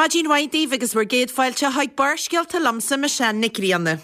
Maidin mhaith daoibh agus bhur gcéad fáilte chuig Barrscéalta liomsa, Michelle Nic Grianna.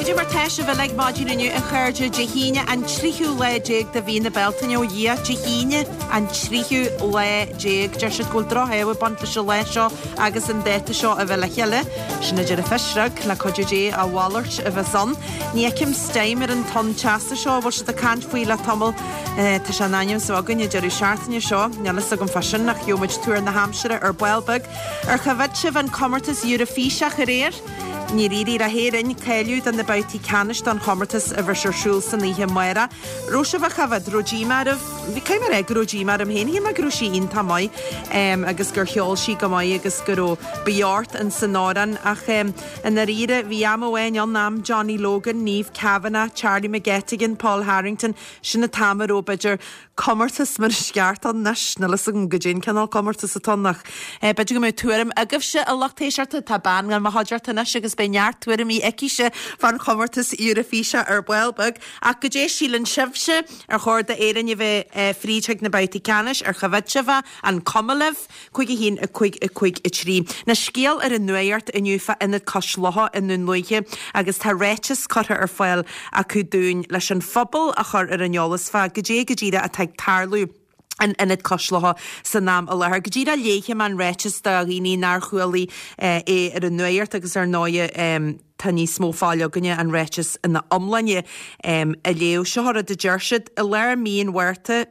Cad é mar tá sibh uilig maidin inniu a chairde, Dé hAoine an tríú lá déag de mhí na Bealtaine, ó Dhia, Dé hAoine an tríú lá déag. Deir siad go bhfuil droch-ádh ag baint leis an lá seo agus an dáta seo a bheith le chéile. Sin a deir an phisreog, le cuidiú Dé a mhalairt a bheas ann. Ní fheicim steam ar an tonn teasa seo a bhfuil siad ag caint faoi le tamall. Tá sé in ainm is a bheith againn an deireadh seachtaine seo. Níl fhios agam fá sin ach gheobhaidh muid tuar na haimsire ar ball beag. Ar choimhéad sibh an comórtas Eurofíseach aréir? Níor éirigh le hÉirinn cáiliú do na babhtaí ceannais don chomórtas a bheas ar siúl san oíche amárach. Raibh sibh á choimhéad? Raibh díomá oraibh? Caithfidh mé a rá go raibh díomá orm féin. Shíl mé go raibh sí iontach maith agus gur cheol sí go maith agus go raibh beocht in san amhrán ach i ndáiríre bhí am amháin ann, am Johnny Logan, Niamh Kavanagh, Charlie McGettigan, Paul Harrington, Sin an t-am a raibh, b'fhéidir, comórtas mar is ceart ann anois. Níl fhios agam goidé an cineál comórtas atá ann ach b'fhéidir go mbeadh tuairim agaibhse, a lucht éisteachta. Tá bean i mo chuideachta anois agus beidh neart tuairimí aicise fán chomórtas Eurofíseach ar ball beag. Ach goidé síleann sibhse? Ar chóir d'Éirinn a bheith fríd chuig na babhtaí ceannais? Ar choimhéad sibh é? An cuma libh? 5 1 5 5 3. Anois scéal ar an nuacht inniu fá Ionad Cois Locha i nDún Lúiche agus tá ráiteas curtha ar fáil acu dúinn leis an phobal a chur ar an eolas fá goidé go díreach atá ag tarlú in Ionad Cois Locha san am i láthair. Go díreach léifidh mé an ráiteas do dhaoine nár chualaidh é ar an nuacht agus ar ndóighe Tá níos mó fáil againne an ráiteas ina iomláine a léamh. Seo rud a deir siad, I lár mí an Mhárta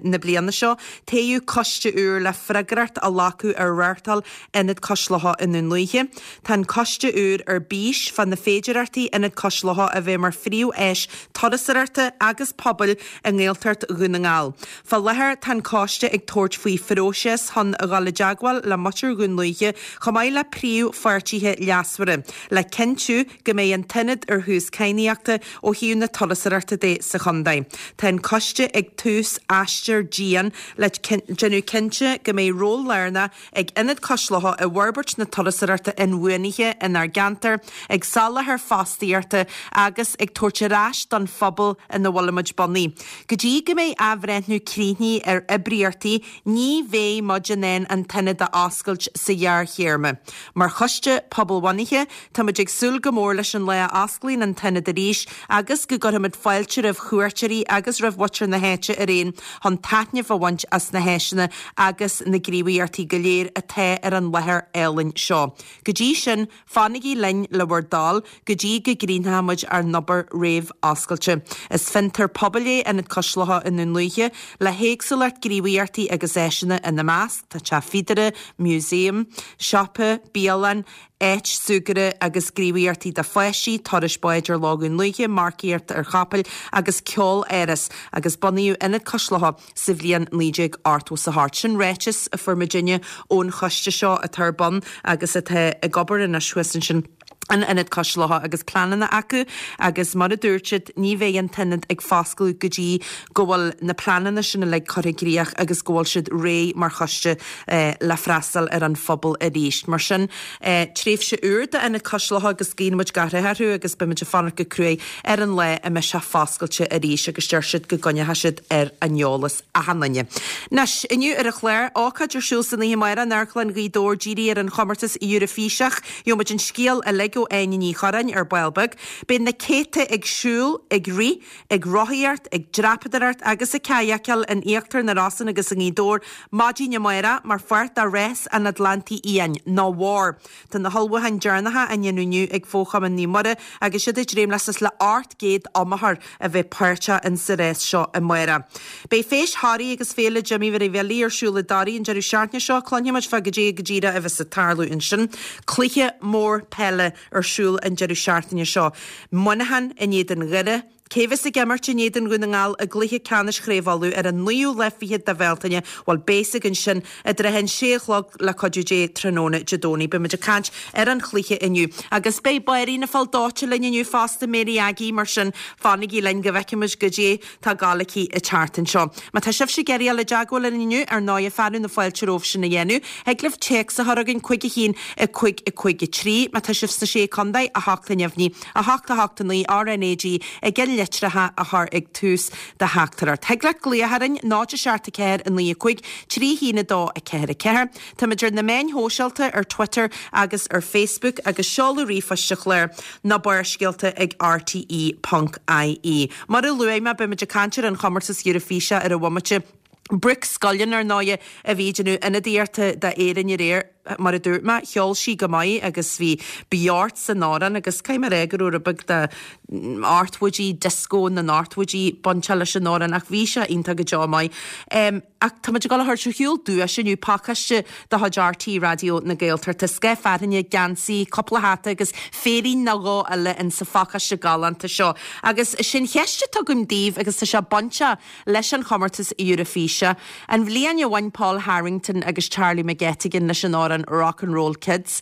na bliana seo, toghadh coiste úr le freagracht a ghlacadh ar reáchtáil Ionad Cois Locha i nDún Lúiche. Tá an coiste úr ar bís fá na féidearthachtaí Ionad Cois Locha a bheith mar phríomh-áis turasóireachta agus pobail i nGaeltacht Dhún na nGall. Fá láthair tá an coiste ag tabhairt faoi phróiseas chun a dhul i dteagmháil le muintir Dhún Lúiche chomh maith le príomhpháirtithe leasmhara le cinntiú go mbeidh an t-ionad ar thús cadhnaíochta ó thaobh na turasóireachta de sa chontae. Tá an coiste ag tús aistear dian le déanamh cinnte go mbeidh ról lárnach ag Ionad Cois Locha i bhforbairt na turasóireachta inbhuanaithe inár gceantar, ag soláthar fostaíochta agus ag tabhairt ar ais don phobal ina bhfuilimid bunaithe. Go dtí go mbeidh athbhreithniú críochnaithe ar oibríochtaí, ní bheidh muid in ann an t-ionad a oscailt sa ghearrthéarma. Mar choiste pobalbhunaithe, táimid ag súil go mór leis an lá a osclaíonn an t-ionad arís agus go gcuirfimid fáilte roimh chuairteoirí agus roimh mhuintir na háite araon chun taitneamh a bhaint as na háiseanna agus na gníomhaíochtaí go léir atá ar an láthair álainn seo. Go dtí sin, fanaigí linn le bhur dtoil go dtí go gcríochnóimid ár n-obair réamh-oscailte. Is fiontar pobail é Ionad Cois Locha i nDún Lúiche, le héagsúlacht gníomhaíochtaí agus áiseanna ina measc, tá teach fíodóra, museum, siopa, bialann, áit súgartha agus gníomhaíochtaí do pháistí, turais báid ar Loch Dhún Lúiche, marcaíocht ar chapaill agus ceol-áras, agus bunaíodh Ionad Cois Locha sa bhliain 1988. Sin ráiteas a fuair muidinne ón choiste seo atá ar bun agus atá ag obair anois thuas ansin in Ionad Cois Locha agus pleananna acu agus mar a dúirt siad ní bheidh an t-ionad ag foscladh go dtí go bhfuil na pleananna sin uilig curtha i gcríoch agus go bhfuil siad réidh mar choiste le freastal ar an phobal arís. Mar sin, tréimhse úr d'Ionad Cois Locha agus guíonn muid gach rath orthu agus beimid ag fanacht go cruaidh ar an lá a mbeidh sé foscailte arís agus deir siad go gcoinneoidh siad ar an eolas achan duine. Anois, inniu ar an chlár, ócáid ar siúl san oíche amárach in Amharclann Ghaoth Dobhair dírithe ar an chomórtas Eurofíseach. Gheobhaidh muid an scéal uilig ó Áine Ní Churráin ar ball beag. Beidh na céadta ag siúl, ag rith, ag rothaíocht, ag dreapadóireacht agus ag cadhacáil in Íochtar na Rosann agus i nGaoth Dobhair maidin amárach mar pháirt de Rás an Atlantaigh Fhiáin, nó WAR. Tá na hullmhúcháin deireanacha á ndéanamh inniu ag Fo-Chumann Naomh Muire agus iad ag dréim le suas le 800 iomaitheoir a bheith páirteach in sa rás seo amárach. Beidh Feis Thoraí agus Féile Jimí Mhary Bhilí ar siúl i dToraigh an deireadh seachtaine seo. Cluinfidh muid fá goidé go díreach a bheas ag tarlú ansin. Cluiche mór peile ar siúl an deireadh seachtaine seo. Muineachán in éadan Dhoire. Cé bheas ag imirt in éadan Dhún na nGall i gcluiche ceannais Chraobh Uladh ar an naoú lá fichead de Bhealtaine? Bhuel, beidh a fhios againn sin i dtrátha an sé a chlog le cuidiú Dé tráthnóna Dé Domhnaigh. Beidh muid ag caint ar an chluiche inniu. Agus beidh báirín an Phoill Dóite linn inniu fosta, Mary Aggie, mar sin fanaigí linn go bhfeicfidh muid goidé tá ag gabháil aici an tseachtain seo. Má tá sibhse ag iarraidh dul i dteagmháil linn inniu, ar ndóighe, fearadh na fáilte romhaibh sin a dhéanamh. Thig libh téacs a chur chugainn, 5 1 5 5 3. Má tá sibh sna Sé Contae, 8 neamhní. 8 8 9 RNAG i gceannlitreacha a chur ag tús do theachtaireacht. Thig leat glaoch orainn, 0 7 4 9 5 3 1 2 4 4. Táimid ar na meáin shóisialta, ar Twitter agus ar Facebook agus seoladh ríomhphoist an chláir ná Barrscéalta ag rte ponc ie. Mar a luaigh mé, beimid ag caint ar an chomórtas Eurofíse ar an bhomaite. Brooke Scullion, ar ndóighe, a bhí ag déanamh ionadaíochta d'Éirinn aréir. Mar a dúirt mé, cheol sí go maith agus bhí beocht san amhrán agus caithfidh mé a rá go raibh rud beag de ochtóidí, disco na n-ochtóidí bainteach leis an amhrán ach bhí sé iontach go deo maith. Ach tá muid ag dul a thabhairt ar shiúl duais inniu, pacáiste de chuid RTÉ Raidió na Gaeltachta, scáth fearthainne, geansaí, cúpla hata agus féirín nó dhó eile in sa phacáiste galánta seo. Agus sin cheist atá agam daoibh agus tá sé bainteach leis an chomórtas Eurofíse. An bhliain a bhain Paul Harrington agus Charlie McGettigan leis an amhrán Rock and Roll Kids,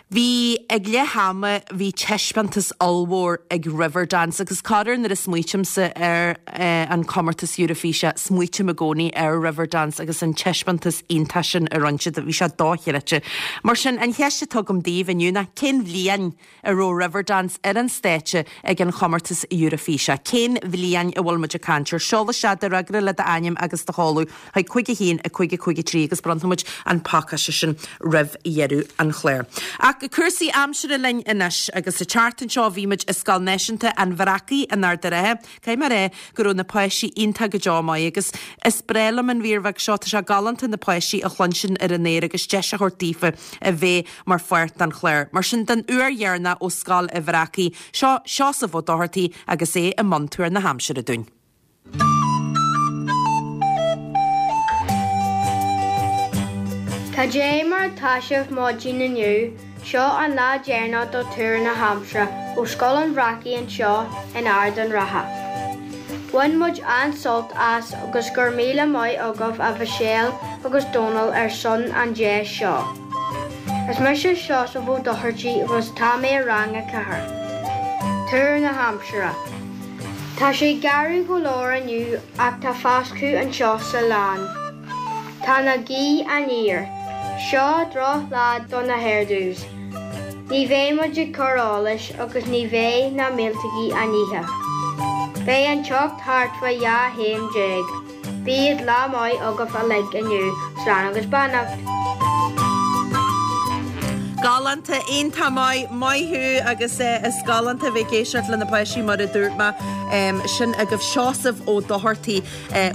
bhí ag leath ama bhí taispeántas ollmhór ag Riverdance agus corruair nuair a smaoitímse ar an chomórtas Eurofíse smaoitím i gcónaí ar Riverdance agus an taispeántas iontach sin a rinne siad, bhí sé dochreidte. Mar sin an cheist atá agam daoibh inniu ná cén bhliain a raibh Riverdance ar an stáitse ag an chomórtas Eurofíse. Cén bhliain a bhfuil muid ag caint air? Seol isteach do fhreagra le d'ainm agus do sheoladh chuig 5 1 5 5 3 agus bronnfaidh muid an pacáiste sin roimh dheireadh an chláir. Ach cúrsaí aimsire linn anois agus an tseachtain seo bhí muid i Scoil Náisiúnta an Bhreacaigh in Ard an Rátha. Caithfidh mé a rá go raibh na páistí iontach go deo maith agus is breá liom an mhír bheag seo, tá sé galánta na páistí a chluinstin ar an aer agus deis a thabhairt daofa a bheith mar pháirt den chlár. Mar sin, den uair dheireanach ó Scoil a' Bhreacaigh, seo Seosamh Ó Dochartaigh agus é i mbun tuar na haimsire dúinn. Cad é mar atá sibh maidin inniu? Seo an lá deireanach do Tuar na hAimsire ó Scoil an Bhreacaigh anseo in Ard an Rátha. Bhain muid an-sult as agus go raibh míle maith agaibh a Mhichelle agus Dónal ar son an deis seo. Is mise Seosamh Ó Dochartaigh agus tá mé i rang a 4. Tuar na hAimsire. Tá sé garbh go leor inniu ach tá foscadh anseo sa lann. Tá na gaoth aniar. Seo droch lá do na hairdos. Ní bheidh muid ag cur allais agus ní bheidh na míoltógaí á n-ithe. Beidh an teocht thart fá 12 chéim. Bíodh lá maith agaibh uilig inniu. Slán agus beannacht. Galánta, iontach maith, maith thú agus is galánta a bheith ag éisteacht le na páistí mar a dúirt mé. Sin agaibh Seosamh Ó Dochartaigh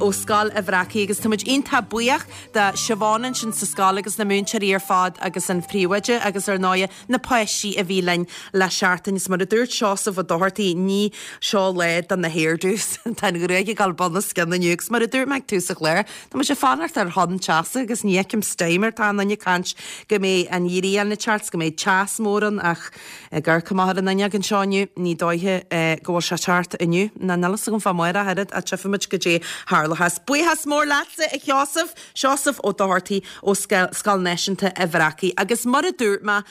ó Scoil a' Bhreacaigh agus tá muid iontach buíoch do Siobhán ansin sa scoil agus na múinteoirí ar fad agus an phríomhoide agus ar ndóighe na páistí a bhí linn le seachtain. Is mar a dúirt Seosamh Ó Dochartaigh, ní seo lá do na hairdos. Tá an ghruaig ag dul bun os cionn inniu agus mar a dúirt mé ag tús an chláir, tá muid ag fanacht ar thonn teasa agus ní fheicim steam air. Tá an duine ag caint go mbeidh an ghrian ag teacht 's go mbeidh teas mór ann ach Ag amharc amach ar an fhuinneog anseo inniu, ní dóiche go bhfuil sé ag teacht inniu, ná níl fhios agam fá amárach oiread, ach tchífimid goidé tharlóchas. Buíochas mór leatsa, a Sheosaimh, Seosamh Ó Dochartaigh ó Scoil Náisiúnta a' Bhreacaigh. Agus mar a dúirt mé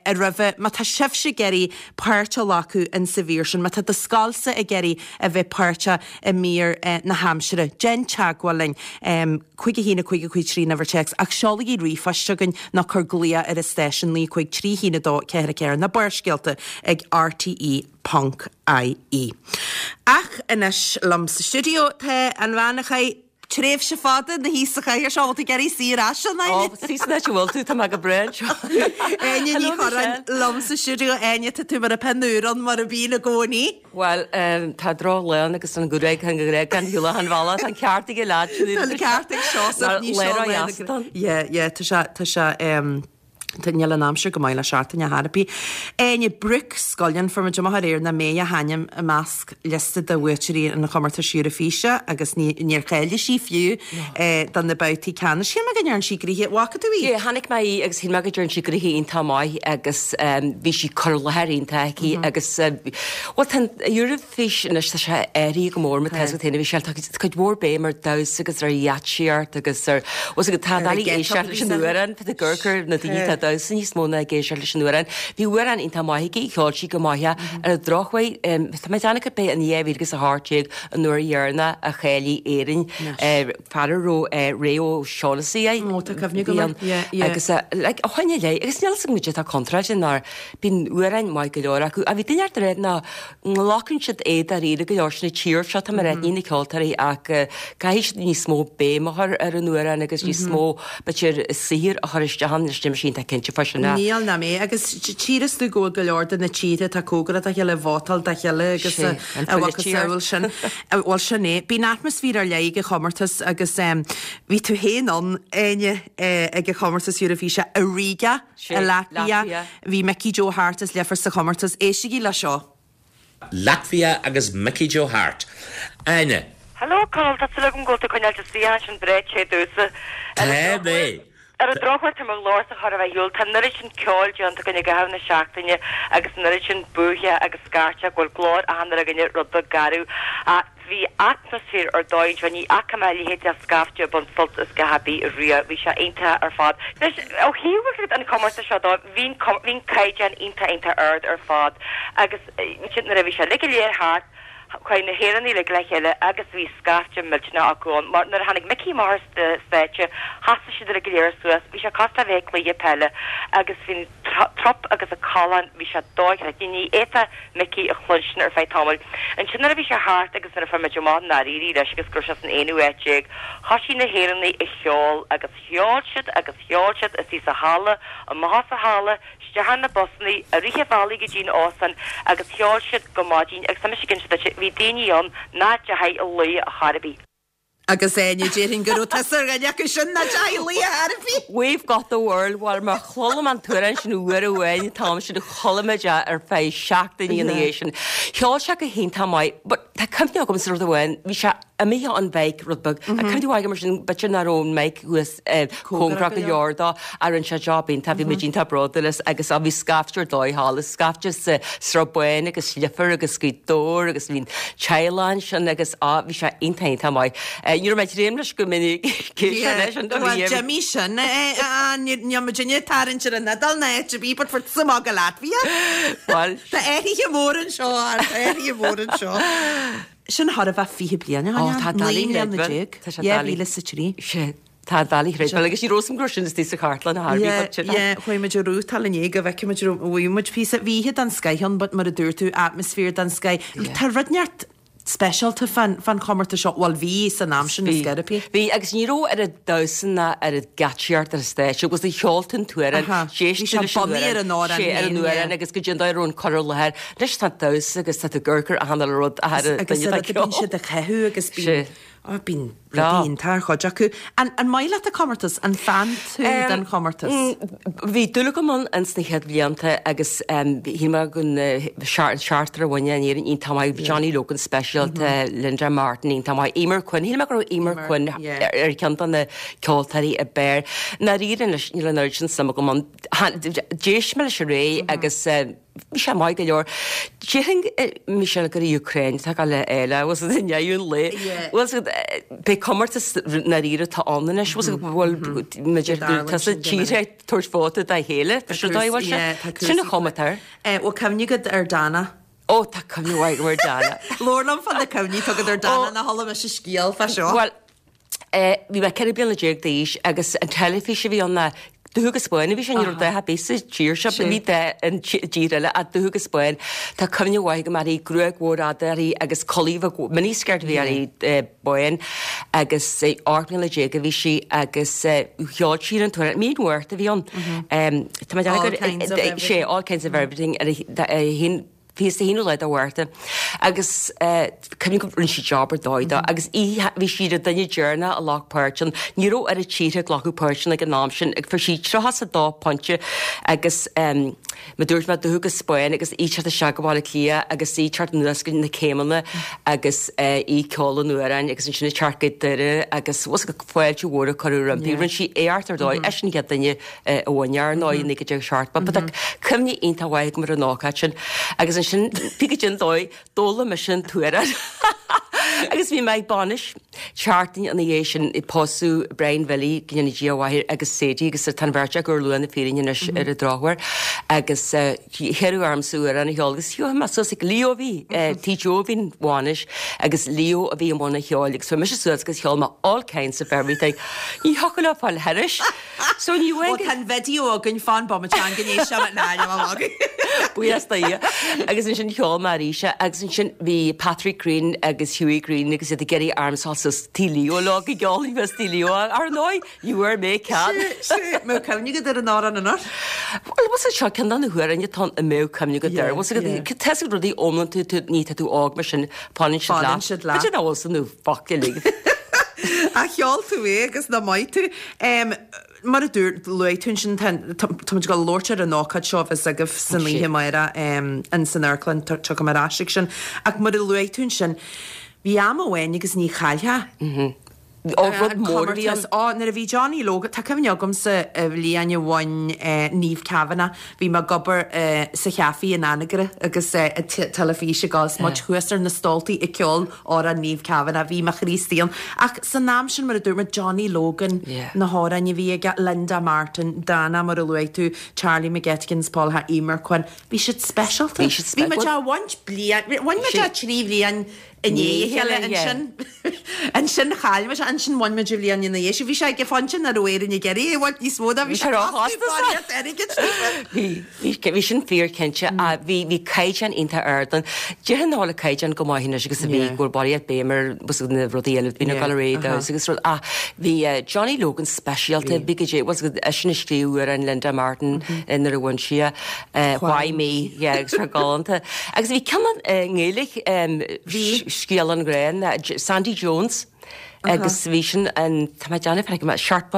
roimhe, má tá sibhse ag iarraidh páirt a ghlacadh in sa mhír sin, má tá do scoilsa ag iarraidh a bheith páirteach i mír na haimsire, déan teagmháil linn. 5 1 5 5 3 an uimhir téacs ach seolaigí ríomhphost chugainn nó cuir glaoch ar an stáisiún 9 5 3 1 2 4 4 nó Barrscéalta ag rte ponc ie. Ach anois liom sa stiúideo tá an bhean a chaith tréimhse fada ina shuí sa chathaoir seo, bhfuil tú ag iarraidh suí ar ais ann, Áine? Ó, suí san áit a bhfuil tú, tá mé go breá anseo. Áine Ní Churráin liom sa stiúideo. Áine, tá tú mar an pian úr ann mar a bhíonn i gcónaí. Bhuel, tá droch-lá ann agus an ghruaig, an ghruaig gan shiúl achan bhealach, tá an ceart ag an leaid sin. Tá an ceart ag Seosamh, ní seo lá na. Yeah, yeah, tá sé, tá sé, em. Tá níl an aimsir go maith le seachtain ar chor ar bith. Áine, Brooke Scullion, fuair muid amach aréir nach mbeidh a hainm i measc liosta de bhuaiteoirí an chomórtais Eurofíse agus níor cháiligh sí fiú do na babhtaí ceannais. Shíl mé go ndearna sí gnoithe, bhfaca tú í? Yeah, chonaic mé í agus shíl mé go dtearn sí gnoithe iontach maith agus bhí sí cur i láthair iontach aici agus bhuel tá an Eurofís anois tá sé athraithe go mór má tá a fhios agat féin a Mhichelle tá cuid mhór béim ar damhsa agus ar gheáitsíocht agus ar bhfuil a fhios agat tá doiligh éisteacht leis an amhrán tá ag amharc ar na daoine atá ag damhsa níos mó ná ag éisteacht leis an amhrán. Bhí amhrán iontach maith aici, cheol sí go maith é. Ar an drochuair tá mé ag déanamh gurb é an 2018 an uair dheireanach a cháiligh Éirinn fear a raibh Ray O'Shaughnessy air. Ó tá cuimhne agam air, yeah, yeah. Agus like ó shin i leith agus níl a fhios agam goidé atá contráilte nár Bíonn amhráin maith go leor acu. Ach bhí duine inteacht ag rá nach nglacann siad é dáiríre go leor sin an tír seo, tá mé ag rá, ní na ceoltóirí ach caithfidh siad níos mó béim a chur ar an amhrán agus níos mó b'fhéidir saothair a chur isteach ann. Anois níl mise iontach cinnte fá sin ach. Níl ná mé. Agus tchíthear tú go bhfuil go leor de na tíortha atá cóngarach dá chéile ag vótáil dá chéile agus a mhacasamhail sin. Bhuel sin é. Bíonn atmaisféar ar leith ag an chomórtas agus bhí tú féin ann, Áine, ag an chomórtas Eurofíse i Riga. I Latvia, bhí Mickey Joe Harte as Leifear sa chomórtas. Éistigí le seo. Latvia agus Mickey Joe Harte. Áine. Hello Conall, tá súil agam go bhfuil tú ag coinneáilt do sciath ansin breá te domhsa. Tá mé. Ar an drochuair tá mo ghlórsa chóir a bheith ar shiúl, tá an oiread sin ceoil déanta againn i gcaitheamh na seachtaine agus an oiread sin buaithe agus scairteadh go bhfuil glór achan duine againne rud beag garbh. Ach Bhí atmaisféar ar dóigh anseo, ní fhaca mé a leithéid de scaifte ag baint sult as dhath ar bith riamh, bhí sé iontach ar fad. Anois, ó thaobh an chomórtais seo dó, bhí an bhí an caighdeán iontach iontach ard ar fad agus ansin nuair a bhí sé uilig go léir thart, chuaigh na hÉireannaigh uilig le chéile agus bhí scaifte millteanach acu ann mar nuair a tháinig Mickey amach ar stáitse, sheasaigh siad uilig go léir suas, bhí sé cosúil le bheith ag cluiche peile agus bhí an trup agus an callán, bhí sé dochreidte, ní fhéadfá Mickey a chluinstin ar feadh tamaill. Ansin nuair a bhí sé thart agus nuair a fuair muid amach nár éirigh leis agus go raibh sé san aonú áit déag, thoisigh na hÉireannaigh ag ceol agus cheol siad agus cheol siad istigh sa halla, amach as an halla, isteach ar na busannaí, i rith an bhealaigh go dtí an óstán agus cheol siad go maidin agus tá mise ag inse duit, bhí daoine ann nach dteachaigh a luí ar chor ar bith. Agus Áine, déarfainn go raibh tusa ar dhuine acu sin nach dteachaigh a luí ar chor ar bith. We've got the world, bhuel má chuala mé an t-amhrán sin uair amháin an t-am sin chuala mé é ar feadh seachtainí ina dhiaidh sin. Cheol sé go hiontach maith but tá cuimhne agamsa rud amháin, bhí sé imithe ón mhic rud beag. Tá cuimhne mhaith agam mar sin b'fhéidir nach raibh an mic thuas cóngarach go leor dó ach rinne sé job iontach, bhí muid iontach bródúil as agus bhí scaifte ar dóigh thall, scaifte sa Sruth Bán agus Leifear agus Gaoth Dobhair agus bhí an teaghlach ansin agus á bhí sé iontach iontach maith. Ní raibh mé ag dréim leis go minic yeah. leis an Bhuel d'imigh sin níl muidinne ag tarraingt ar an Iodáil ná áit ar bith but fuair tusa amach go Latvia. Bhuel Tá athruithe móra anseo tá athruithe móra anseo. Sin chóir a bheith 20 bliain ó shin. Tá 19 mbliana. 2003. Sé. Tá doiligh a chreidbheáil agus ní raibh a fhios agam go raibh sin istigh sa chartlann a Harvey but sin. Yeah, chuaigh muid ag rútáil inné go bhfeicfidh muid raibh bhuaigh muid píosa. Bhí oíche den scoith ann but mar a dúirt tú atmaisféar den scoith. Tá rud inteacht speisialta fán fán chomórtas seo, bhuel bhí san am sin is gurb í. Bhí agus ní raibh oiread damhsa ná oiread geáitsíocht ar an stáitse agus cheol tú an t-amhrán, d'éist tú leis an amhrán, ar an amhrán sé ar an amhrán agus go dtí an dóigh a raibh an cur i láthair. Anois tá damhsa agus tá tú ag amharc ar achan uile rud a Agus duine atá ag ceol. Bíonn siad ag caitheamh agus bíonn Á, bíonn rudaí iontach ar chuid acu. An, an maith leat an comórtas? An fan tú den chomórtas? Bhí dúil agam ann ins na chéad bhlianta agus shíl mé go an seachtar a bhain in Éirinn iontach maith, Johnny Logan speisialta, Linda Martin iontach maith, Eimear Quinn, shíl mé go raibh Eimear Quinn ar cheann de na ceoltóirí ab fhearr. I ndáiríre anois níl an oiread sin suim agam ann. D'éist mé leis aréir agus Bhí sé maith go leor. Déarfainn, Michelle, gur í Ukraine atá ag gabháil a fháil é, bhfuil i ndiaidh an lae. Bhfuil pé comórtas ndáiríre atá ann anois, bhfuil bhfuil b'fhéidir tusa tíortha ag tabhairt vóta dá chéile, bhfuil sé dóigh, bhfuil sé? Sin an chuma atá air. Bhfuil cuimhne agat ar Dana? Ó, tá cuimhne mhaith agam ar Dana. Labhair liom fá na cuimhní atá agat ar Dana, nó chuala mise scéal fá seo. Bhuel, Bhí mé 14 bliana d'aois agus an teilifís a bhí ann ná dubh agus bán a bhí sé, ní raibh dath ar bith sa tír seo, bhí dath i dtír eile ach dubh agus bán. Tá cuimhne mhaith agam uirthi, gruaig mhór fhada uirthi agus culaith bheag, miniskirt a bhí uirthi, bán agus 18 mbliana a bhí sí agus cheol sí an t-amhrán, mí an Mhárta a bhí ann. Tá mé ag déanamh gur, sé, all kinds of everything, ar a haon. 21ú lá de Mhárta agus cuimhním go rinne sí job ar dóigh dó agus í bhí sí an duine deireanach a ghlac páirt ann. Ní raibh oiread tíortha ag glacadh páirt ann ag an am sin ag fuair sí 32 pointe agus mar dúirt mé dubh agus bán agus í teacht isteach go Baile Átha Cliath agus í teacht anuas go na céimeanna agus í ceol an amhráin agus ansin ag teacht go Doire agus bhfuil fhios agat fáilte mhór a cuireadh roimpi. Rinne sí éacht ar dóigh. Eisean an chéad duine a bhain ar ndóigh i 1970. But tá cuimhne iontach mhaith agam ar an ócáid sin. Agus ansin, pé cad é an dóigh, d'fhoghlaim mise an t-amhrán. Agus bhí mé ag bainis seachtain ina dhiaidh sin ag pósadh Brian Bhilly, go ndéana Dia a mhaith air, agus Sadie, agus tá an bheirt acu ar luath na fírinne anois ar an drochuair. Agus hiarradh ormsa amhrán a cheol agus chuaigh mé suas ag Leo a bhí, Tigh Joe a bhí an bhainis agus Leo a bhí i mbun an cheoil agus chuaigh mise suas agus cheol mé all kinds of everything. Ní thiocfadh leo fáil thairis. So ní bhfuil. Tá an video againn fan bomaite an go n-éistfidh mé ná níl againn. Buíochas do Dhia. Agus ansin cheol mé arís é agus ansin bhí Patrick Greene agus Hughie Greene agus iad ag iarraidh ormsa a dhul suas tigh Leo leo go gceolfainn suas tigh Leo. Ar ndóigh, ní bhfuair mé cead. Mbeadh cuimhne agat ar an amhrán anois? Bhuel, bhfuil sé seo ceann de na hamhráin atá ann a mbeadh cuimhne agat air. Bhfuil sé tá a fhios agat rudaí iomlán tú tú ní tá tú óg mar sin fanann siad leat. Fanann siad leat. B'fhéidir nach bhfuil san nó focal uilig. Ach cheol tú é agus nach maith tú. Mar a dúirt, luaigh tú ansin, tá tá muid ag dul a labhairt ar an ócáid seo a bheas agaibh san oíche amárach in san amharclann, tiocfaidh mé ar ais ag sin. Ach mar a luaigh tú ansin, bhí am amháin agus ní chaillfeá Ó, rud mór a bhí ann. Ó, nuair a bhí Johnny Logan, tá cuimhne agamsa an bhliain a bhain Niamh Kavanagh, bhí mé ag obair sa chaife in Anagaire agus an teilifís ag dul is muid thuas ar na stóltaí ag ceol amhrán Niamh Kavanagh, bhí mo chroí istigh ann. Ach san am sin, mar a dúirt muid, Johnny Logan, na hamhráin a bhí aige, Linda Martin, Dana, mar a luaigh tú, Charlie McGettigans, Paul Ha, Eimear Quinn, bhí siad speisialta. Bhí siad Bhí muid á bhaint bliain, bhain muid é 3 bhliain i ndiaidh a chéile ansin, ansin chaill muid é, ansin bhain muid an bhliain ina dhiaidh sin. Bhí sé ag an phointe nach raibh Éirinn ag iarraidh é a bhaint níos mó ná bhí sé róchostasach. airgid. Bhí, bhí, bhí sin fíor cinnte. Bhí, bhí caighdeán iontach ard ann. Déarfainn nach bhfuil an caighdeán chomh maith anois agus a bhí, go bhfuil barraíocht béim ar na rudaí eile, bhí na gailearaí damhsa agus rud, ach bhí Johnny Logan speisialta, bhí go dé, bhuel, eisean a scríobh amhrán Linda Martin nuair a bhain sí é. Why me, yeah, agus tá galánta. Agus bhí ceann i nGaeilge, Scéal an Ghrá, Sandy Jones, agus bhí sin an, tá mé ag déanamh, feicim, seacht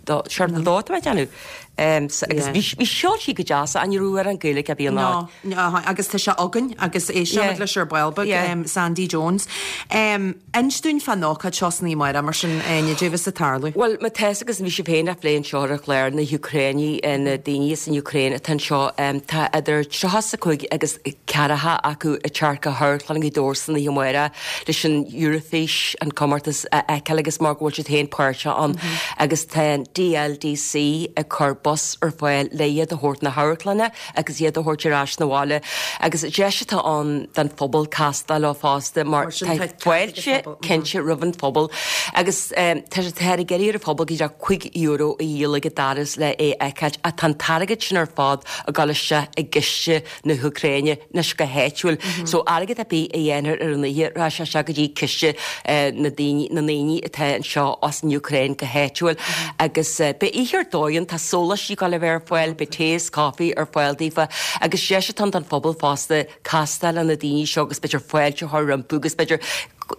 dó, seacht dó tá mé ag déanamh. Agus bhí, bhí cheol sí go deas, ach ní raibh amhrán Gaeilge ar bith ann. No, agus tá sé againn agus éistfimid leis ar ball beag, Sandy Jones. Inis dúinn fán ócáid seo san oíche amárach, mar sin, Áine, caidé a bheas ag tarlú. Bhuel, má tá fhios agus bhí sibh féin á phlé anseo ar an chlár, na hÚcráinigh, na daoine as an Úcráin atá anseo, tá idir 35 agus 40 acu ag teacht go hAmharclann Ghaoth Dobhair san oíche amárach leis an Eurofís, an comórtas a fheiceáil agus mar go bhfuil siad féin páirteach ann agus tá an DLDC ag cur bus ar fáil le iad a thabhairt na hamharclainne agus iad a thabhairt ar ais 'na bhaile agus deis atá ann don phobal castáil leo fosta mar tá fáilte cinnte roimh an phobal agus tá táthar ag iarraidh ar an phobal go díreach €5 a dhíol ag an doras le é a fheiceáilt ach tá an t-airgead sin ar fad ag dul isteach i gciste na hÚcráine anois go háitiúil so airgead ar bith a dhéanfar ar an oíche rachaidh sé isteach go dtí ciste na daoine na ndaoine atá anseo as an Úcráin go háitiúil agus beidh oíche ar dóigh ann, tá sóláistí ag dul a bheith ar fáil, beidh tae is caife ar fáil daofa agus deis atá ann don phobal fosta castáil le na daoine seo agus b'fhéidir fáilte a chur rompu agus b'fhéidir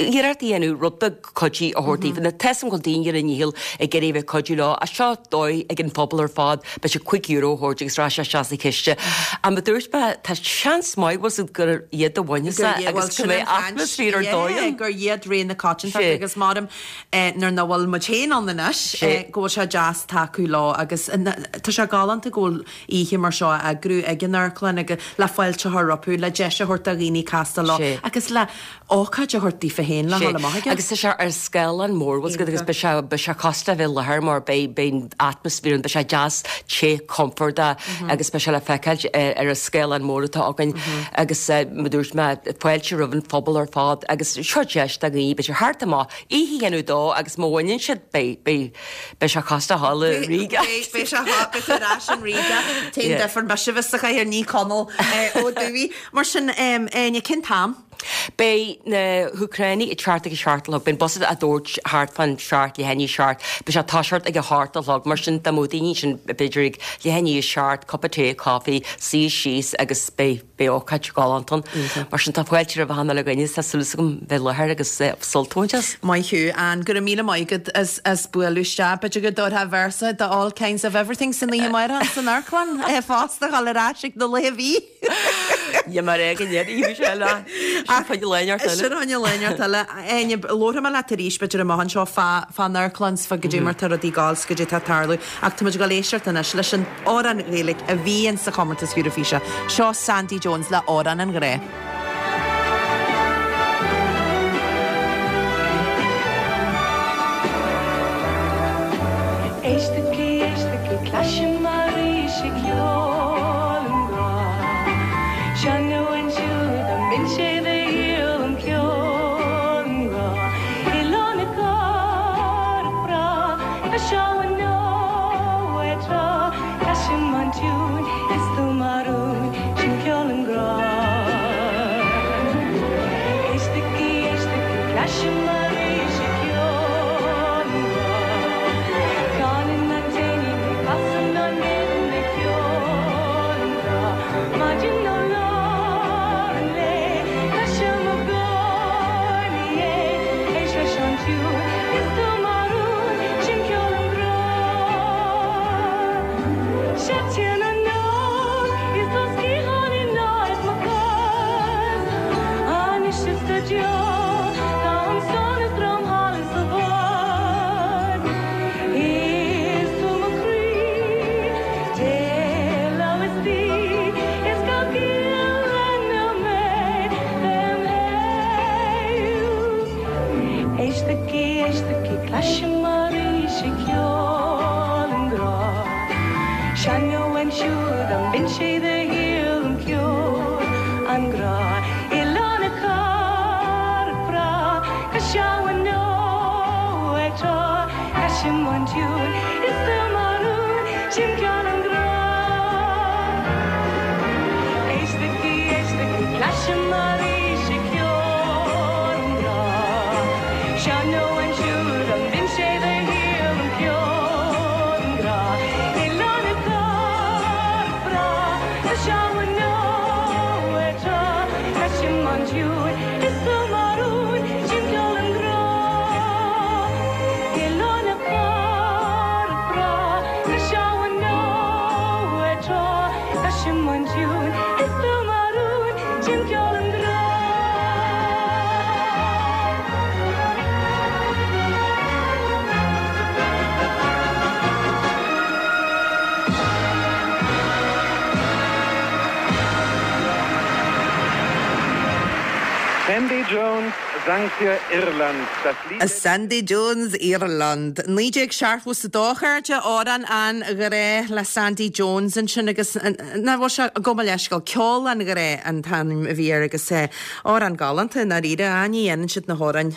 iarracht a dhéanamh rud beag cuidiú a thabhairt daofa. Now tá 'fhios a'm go bhfuil daoine ar a ndícheall ag iarraidh a bheith ag cuidiú leo ach seo dóigh ag an phobal ar fad b'fhéidir €5 a thabhairt agus rachaidh sé isteach sa chiste. Ach mar a dúirt mé tá seans maith bhfuil 'fhios a'd gur iad a bhainfeas é agus go mbeidh atmaisféar ar dóigh ann. Gur iad ré na coitiantachta agus maram nuair nach bhfuil muid féin ann anois go bhfuil sé deas tacú leo agus tá sé galánta go bhfuil oíche mar seo á eagrú ag an amharclann agus le fáilte a chur rompu, le deis a thabhairt do dhaoine castáil leo agus le ócáid a thabhairt daofa féin le dhul amach aige. Agus tá sé ar scáileán mór, bhfuil 'fhios agat, agus beidh sé, beidh sé cosúil le bheith i láthair mar beidh, beidh an atmaisféar ann, beidh sé deas, te, compordach agus beidh sé le feiceáilt ar an scáileán mór atá againn agus mar a dúirt mé, fáilte roimh an phobal ar fad agus seo deis do dhaoine, b'fhéidir theacht amach, oíche a dhéanamh dó agus má bhaineann siad, beidh, beidh, beidh sé cosúil le dhul i ríogacht. Beidh sé, beidh tú ar ais in ríogacht. An t-aon difear mise a bheith sa chathaoir, ní Conall Ó Dubhaigh. Mar sin, Áine, cén t-am? Beidh na hÚcránaigh ag teacht ag a seacht a chlog. Beidh an bus á dtabhairt thart fán seacht, leath i ndiaidh a seacht. Beidh sé ag toiseacht ag a hocht a chlog. Mar sin, dá mbeadh daoine ansin b'fhéidir ag leath i ndiaidh a seacht, cupa tae, coffee, suí síos agus beidh beidh ócáid galánta ann. Mar sin, tá fáilte roimh achan uile dhuine. Tá súil agam bheith i láthair agus sult a bhaint as. Maith thú, Ann. Go raibh míle maith agat as as bualadh isteach. B'fhéidir go dtabharfá véarsa de All Kinds of Everything san oíche amárach san amharclann fosta, dhul ar ais ag na laetha a bhí. Ní mar é go ndéanfaidh sé le. Sin fá choinne lá inteacht eile. Sin fá choinne lá inteacht eile. Áine, labharfaidh mé leat arís, b'fhéidir amach anseo fá fán amharclann 's fá goidé mar tá rudaí ag gabháil 's goidé tá ag tarlú. Ach tá muid ag dul éisteacht anois leis an amhrán Gaeilge a bhí in sa chomórtas Eurofíse. Seo Sandie Jones le Amhrán an Ghrá. Éistigí, éistigí, cloisim arís í ceol an ghrá. Seo nó ansiúd an mbíonn sé de dhíol um ceol an ghrá. Oileán na Cathrach breá, tá seo nó ar trá, cloisim an tiúin is tú mar rún, sin ceol an ghrá. Éistigí, éistigí, cloisim arís í ceol an ghrá. Canann an t-éinín é, casann an éadan é ceol an ghrá. Maidin nó lár an lae, cloisim i gcónaí é. Éist leis an tiúin, is tú mar rún, sin ceol an ghrá. Séideann an fheoil is tá sciatháin in áit mo chos. Anois is go deo tá an sonas trom thall is i bhfad. Is tú mo chroí, dé lá is oíche, is gach uile nóiméad dem shaol. Éistigí, éistigí, cloisim arís í ceol an ghrá. Seo nó ansiúd an mbíonn sé de dhíol um ceol an ghrá. Oileán na Cathrach breá, cois abhann nó ar trá, cloisim an tiúin is tú mar rún, sin ceol an ghrá. Éistigí, éistigí, cloisim arís í ceol an ghrá. Seo nó ansiúd an mbíonn sé de dhíol um ceol an ghrá. Oileán na Cathrach breá, cois abhann nó ar trá, cloisim an tiúin is tú mar rún, sin ceol an ghrá. Oileán na Cathrach breá, cois abhann nó ar trá, cloisim an tiúin is tú mar rún, sin ceol an ghrá. Sandie Jones sang für Irland das Lied. Sandie Jones, Irland. 1972, a chairde, Amhrán an Ghrá le Sandie Jones ansin agus nach bhfuil sé, gabh mo leithscéal, Ceol an Ghrá an t-ainm a bhí air agus amhrán galánta i ndáiríre, ní dhéanann siad na hamhráin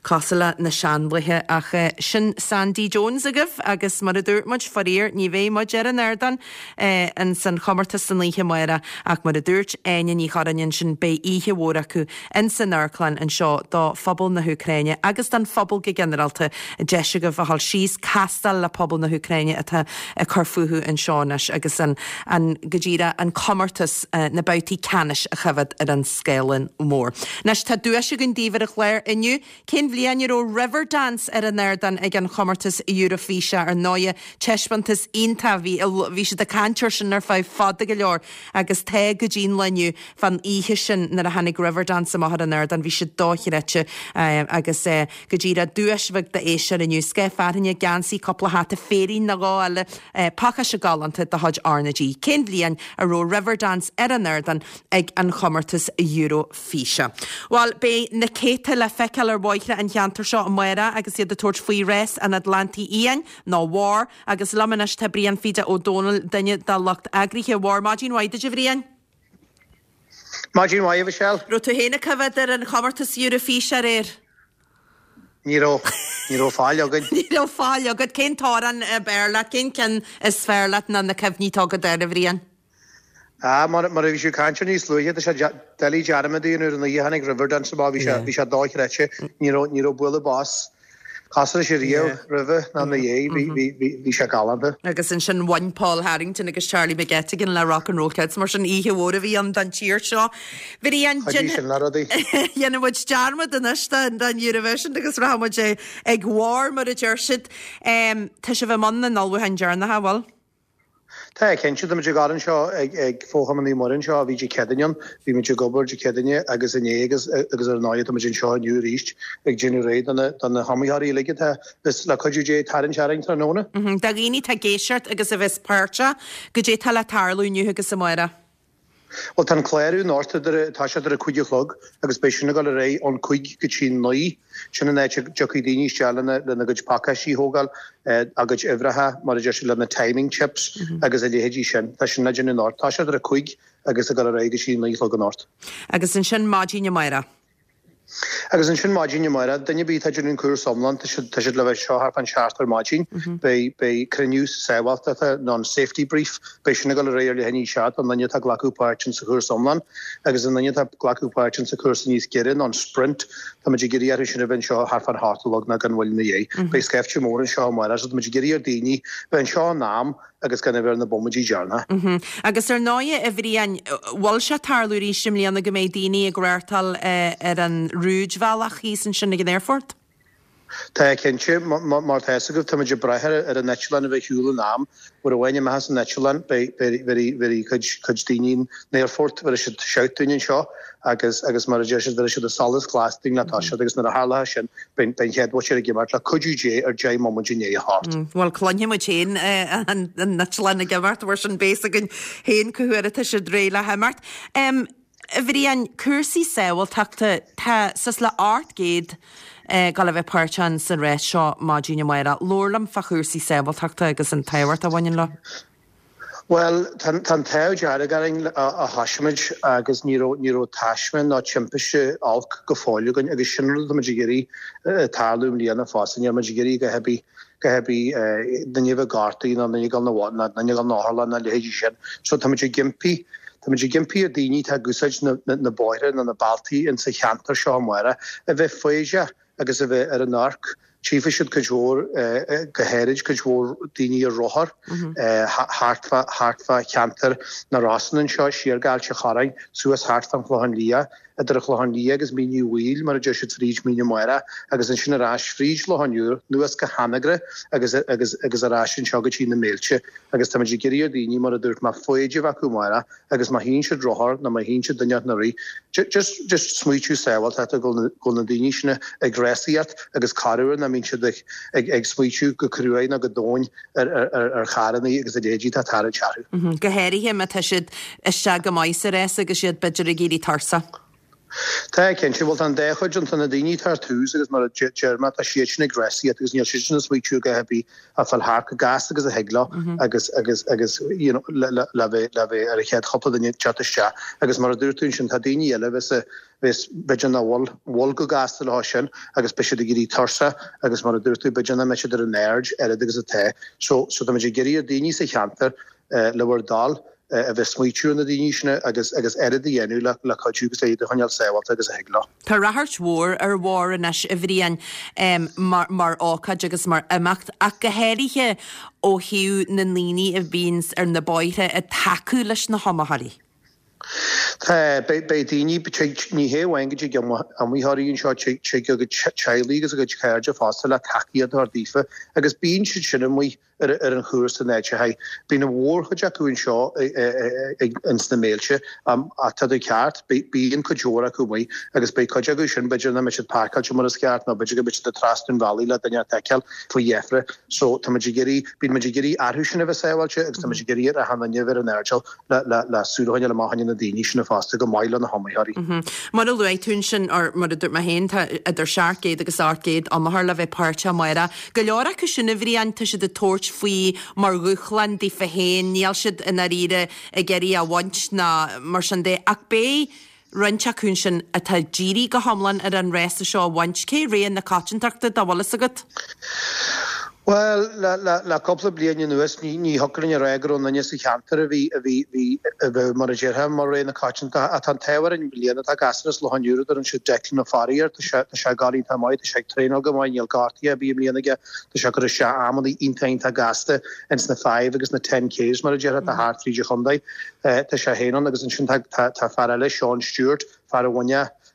cosúil le na seanlaethe ach sin Sandie Jones agaibh agus mar a dúirt muid, faraor, ní bheidh muid ar an ardán ins an chomórtas san oíche amárach ach mar a dúirt Áine Ní Churráin ansin beidh oíche mhór acu ins an amharclann anseo do phobal na hÚcráine agus don phobal go ginearálta, deis agaibh a dhul síos, castáil le pobal na hÚcráine atá ag cur fúthu anseo anois agus an, an, go díreach, an comórtas, na babhtaí ceannais a choimhéad ar an scáileán mór. Anois tá duais againn daoibh ar an chlár inniu. Cén bhliain a raibh Riverdance ar an ardán ag an chomórtas Eurofíse? Ar ndóighe, taispeántas iontach, bhí, bhí siad ag caint air sin ar feadh fada go leor agus tá go dtí'n lá inniu. Fán oíche sin nuair a tháinig Riverdance amach ar an ardán bhí siad dochreidte agus go díreach duais bheag d'éisteoir inniu, scáth fearthainne, geansaí, cúpla hata, féirín nó dhó eile, pacáiste galánta de chuid R na G. Cén bhliain a raibh Riverdance ar an ardán ag an chomórtas Eurofíse? Bhuel, beidh na céadta le feiceáil ar bhóithre an cheantair seo amárach agus iad ag tabhairt faoi Rás an Atlantaigh Fhiáin, nó WAR, agus liom anois tá Brian Pheda Ó Dónaill, duine dá lucht eagraithe WAR. Maidin mhaith duit a Bhriain. Maidin mhaith, a Mhichelle. Raibh tú féin ag coimhéad ar an chomórtas Eurofíse aréir? Ní raibh. Ní raibh faill againn. Ní raibh faill agat. Cén t-amhrán ab fhearr leat? Cén ceann is fearr leat ná na cuimhní atá agat air, a Bhriain? Ah, mar a bhí sibh ag caint air níos luaithe, tá sé doiligh dearmad a dhéanamh ar an oíche a tháinig Riverdance amach, bhí sé, bhí sé dochreidte, ní raibh, ní raibh bualadh bos cosúil leis riamh roimhe ná ina dhiaidh, bhí, bhí, bhí, bhí sé galánta. Agus ansin bhain Paul Harrington agus Charlie McGettigan le Rock and Roll Kids, mar sin oíche mhór a bhí ann don tír seo. Bhriain, Chuidigh sin le rudaí. Dhéanfaidh muid dearmad anois den, den Eurovision agus rachaidh muid ag barr mar a deir siad. Tá sibh i mbun na n-ullmhúcháin deireanacha, an bhfuil? Tá, cinnte. Tá muid ag gabháil anseo ag Fo-Chumann Naomh Muire anseo ó bhí Dé Céadaoine ann. Bhí muid ag obair Dé Céadaoine agus inné agus agus ar ndóigh tá muid anseo inniu arís ag déanamh réidh do na do na hiomaitheoirí uilig atá bheas le cuidiú Dé ag tarraingt orainn tráthnóna. Do dhaoine atá ag éisteacht agus a bheas páirteach, goidé atá le tarlú inniu agus amárach? Bhuel tá an clárú anocht idir, tá sé idir a 5 a chlog agus beidh sin ag dul ar aghaidh ón 5 go dtí 9. Sin an áit a dtiocfaidh daoine isteach lena lena gcuid pacáistí a thógáil, a gcuid uimhreacha, mar a deir siad, lena timing chips agus a leithéidí sin. Tá sin le déanamh anocht. Tá sé idir a 5 agus ag dul ar aghaidh go dtí 9 a chlog anocht. Agus ansin maidin amárach. Agus ansin maidin amárach, duine ar bith atá ag déanamh an cúrsa iomlán, tá siad, tá siad le bheith anseo thart fán seacht ar maidin. Beidh, beidh cruinniú sábháilteachta nó an safety brief, beidh sin ag dul ar aghaidh ar leath i ndiaidh a seacht don duine atá ag glacadh páirt in sa chúrsa iomlán. Agus an duine atá ag glacadh páirt in sa chúrsa níos giorra nó an sprint, tá muid ag iarraidh orthu sin a bheith anseo thart fán hocht a chlog nó gan mhoill ina dhiaidh. Beidh scaifte mór anseo amárach so tá muid ag iarraidh ar daoine bheith anseo in am agus gan a bheith ar na bomaidí deireanacha. Agus ar ndóighe, a Bhriain, bhfuil sé ag tarlú arís i mbliana go mbeidh daoine ag reáchtáil ar an rúidbhealach thíos ansin ag an aerfort? Tá, cinnte. Mar tá fhios agaibh, tá muid ag brath ar an eitleán a bheith ar shiúl in am. Uair amháin a imeochas an eitleán, beidh cuid cuid daoine in aerfort, bhéarfaidh siad shout dúinn anseo agus agus mar a deir siad, bhéarfaidh siad an solas glas dúinn le toiseacht agus nuair a tharlóidh sin, beidh an chéad mhóitéar ag imeacht le cuidiú Dé ar 10 mbomaite i ndiaidh a hocht. Bhuel, cluinfidh muid féin an eitleán ag imeacht, mar sin beidh fhios againn féin cá huair atá siad réidh le himeacht. A Bhriain, cúrsaí sábháilteachta, tá suas le 800 ag dul a bheith páirteach sa rás seo maidin amárach. Labhair liom fá chúrsaí sábháilteachta agus an tábhacht a bhaineann leo. Bhuel, tá an t-ádh dearg orainn ó thosaigh muid agus ní raibh, ní raibh taisme ná timpiste olc go fóill againn agus sin rud atá muid ag iarraidh tarlú i mbliana fosta. Níl muid ag iarraidh a dhath ar bith, a dhath ar bith, duine a bheith gortaithe nó duine ag dul 'na, duine ag dul 'na otharlann nó a leithéidí sin. So tá muid ag impí, tá muid ag impí ar daoine atá ag úsáid na, na, na bóithre nó na bealtaí insa cheantar seo amárach a bheith foighdeach agus a bheith ar an amharc. Tchífidh siad cuid mhór, go háirid cuid mhór daoine ar rothar thart fá thart fá cheantar na Rosann anseo, siar go Ailt an Chorráin, suas thart fán Chlochán Liath, idir an Chlochán Liath agus Mín Uí Bhaoill, mar a deir siad, fríd Mín na Mara, agus ansin ar ais fríd Loch an Iúir, anuas go hAnagaire agus agus agus ar ais anseo go dtí na Méilte. Agus táimid ag iarraidh ar dhaoine, mar a dúirt mé, foighid a bheith acu amárach agus má tchíonn siad rothar nó má tchíonn siad duine ag rith, just just smaoitiú sábháilteachta go bhfuil na daoine sin ag rásaíocht agus corruair nach mbíonn siad ag ag ag smaoitiú go cruaidh nó go domhain ar ar ar charrannaí agus a leithéidí atá ag tarraingt orthu. Go háirithe má tá siad isteach go maith sa rás agus iad b'fhéidir ag éirí tuirseach. Tá, cinnte. Bhuel, tá an dá chuid ann. Tá na daoine atá ar tús agus mar a deir mé, tá siad sin ag rásaíocht agus níl siad sin ag smaoitiú a dhath ar bith ach fáil thart chomh gasta agus a thig leo agus, agus, agus, you know, le, le, le bheith, le bheith ar an chéad chúpla duine teacht isteach. Agus mar a dúirt tú ansin, tá daoine eile a bheas, a bheas, b'fhéidir nach bhfuil, bhfuil chomh gasta leo sin agus beidh siad ag éirí tuirseach agus mar a dúirt tú, b'fhéidir nach mbeidh siad ar an aird oiread agus atá. So, so tá muid ag iarraidh ar daoine sa cheantar, le bhur dtoil, a bheith smaoitiú ar na daoine sin agus agus oiread a dhéanamh le le cuidiú agus le iad a choinneáil sábháilte agus a thig leo. Tá ráchairt mhór ar Bharr anois, a Bhriain, mar mar ócáid agus mar imeacht, ach go háirithe ó thaobh na ndaoine a bhíonns ar na bóithre ag tacú leis na hiomaitheoirí. Tá, beidh beidh daoine, tig, ní hé amháin go dtig iomaitheoirí anseo, tig tig a gcuid teaghlaigh agus a gcuid cairde fosta le tacaíocht a thabhairt daofa agus bíonn siad sin amuigh ar an chúrsa in áiteacha. Bíonn an mhórchuid acu anseo ins na Méilte, ach tá tú ceart, bíonn cuid mhór acu amuigh agus beidh cuid acu sin, b'fhéidir nach mbeidh siad páirceáilte mar is ceart nó b'fhéidir go mbeidh siad ag trasnú an bhealaigh le duine a fheiceáil faoi dheifre. So tá muid ag iarraidh, bíonn muid ag iarraidh orthu sin a bheith sábháilte agus tá muid ag iarraidh ar achan duine a bheith ar an airdeall le súil a choinneáil amach fá choinne na daoine sin fosta, chomh maith le na hiomaitheoirí. Mar a luaigh tú ansin, or mar a dúirt mé féin, tá idir 700 agus 800 iomaitheoir le bheith páirteach amárach. Go leor acu sin, a Bhriain, tá siad ag tabhairt faoi mar dhúshlán daofa féin, níl siad i ndáiríre ag iarraidh a bhaint ná mar sin de, ach beidh roinnt acu ansin atá dírithe go hiomlán ar an rása seo a bhaint. Cé rogha na coitiantachta dá bhfuil fhios agat? Bhuel, le cúpla bliain anuas ní thiocfadh linn a rá go raibh aon duine sa cheantar a bhí, a bhí, bhí, a bheadh mar a déarfá, mar rogha na coitianta. Ach tá an t-ádh orainn i mbliana, tá gasúr as Loch an Iúir a dtugann siad Declan Ó Fearraigh air, tá sé, tá sé ag gabháil iontach maith, tá sé ag traenáil go maith, níl gortaithe ar bith i mbliana aige, tá sé ag cur isteach amannaí iontach iontach gasta ins na five agus na ten Ks mar a déarfá, atá thart fríd an chontae. Tá sé féin ann agus ansin tá, tá, tá fear eile, Seán Stewart, fear a bhain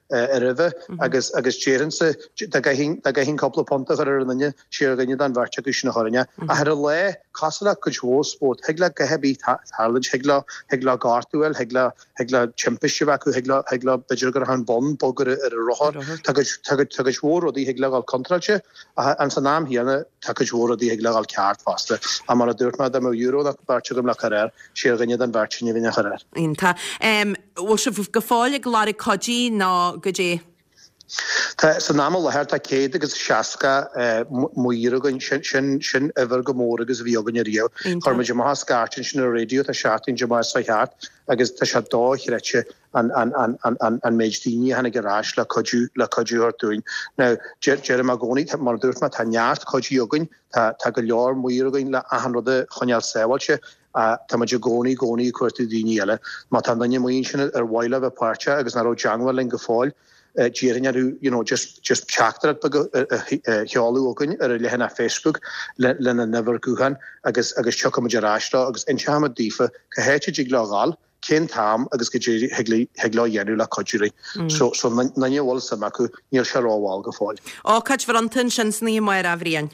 roimhe agus agus déarfainnse dá gcaithfinn dá gcaithfinn cúpla punt a chur ar an duine sé ar dhuine den bheirt acu sin a chuirfinn é. Ach ar an lá, cosúil le cuid mhór spórt, thig le a dhath ar bith tarlúint, thig leo thig leo gortú a fháil, thig leo thig leo timpiste a bheith acu, thig leo thig leo b'fhéidir go raibh an bonn bog ar ar an rothar. Tá cuid tá cuid tá cuid mhór rudaí thig leo a dhul contráilte ach ins an am chéanna tá cuid mhór rudaí thig leo a dhul ceart fosta. Ach mar a dúirt mé dá mbeadh euro nó beirt agam le cur air, sé ar dhuine den bheirt sin a bheinn á chur air. Iontach. Bhfuil sibh go fóill ag lorg cuidí nó goidé? Tá, san am i láthair tá 160 maor againn, sin, sin, sin uimhir chomh mór agus a bhí againn ariamh. Chuir muid amach an scairt ansin ar an raidió, tá seachtain amach seo thart agus tá sé dochreidte an, an, an, an, an, an méid daoine a tháinig ar ais le cuidiú, le cuidiú a thabhairt dúinn. Now, deir, deirim i gcónaí, mar a dúirt mé, tá neart cuidí againn, tá, tá go leor maor againn le achan rud a choinneáil sábháilte, Tá muid i gcónaí, i gcónaí ag cuartú daoine eile. Má tá duine amuigh ansin ar mhaith leo bheith páirteach agus nach raibh i dteangmháil linn go fóill, d'iarrfainn orthu you know just just teachtaireacht beag a sheoladh chugainn ar an leathanach Facebook lena n-uimhir gutháin agus agus tiocfaidh muid ar ais leo agus inseoidh muid daofa cá háit a dtig leo a ghabháil, cén t-am agus goidé thig leo a dhéanamh le cuidiú linn. So so aon duine a bhfuil suim acu, níl sé rómhall go fóill. Ócáid bhronnta ansin san oíche amárach, a Bhriain.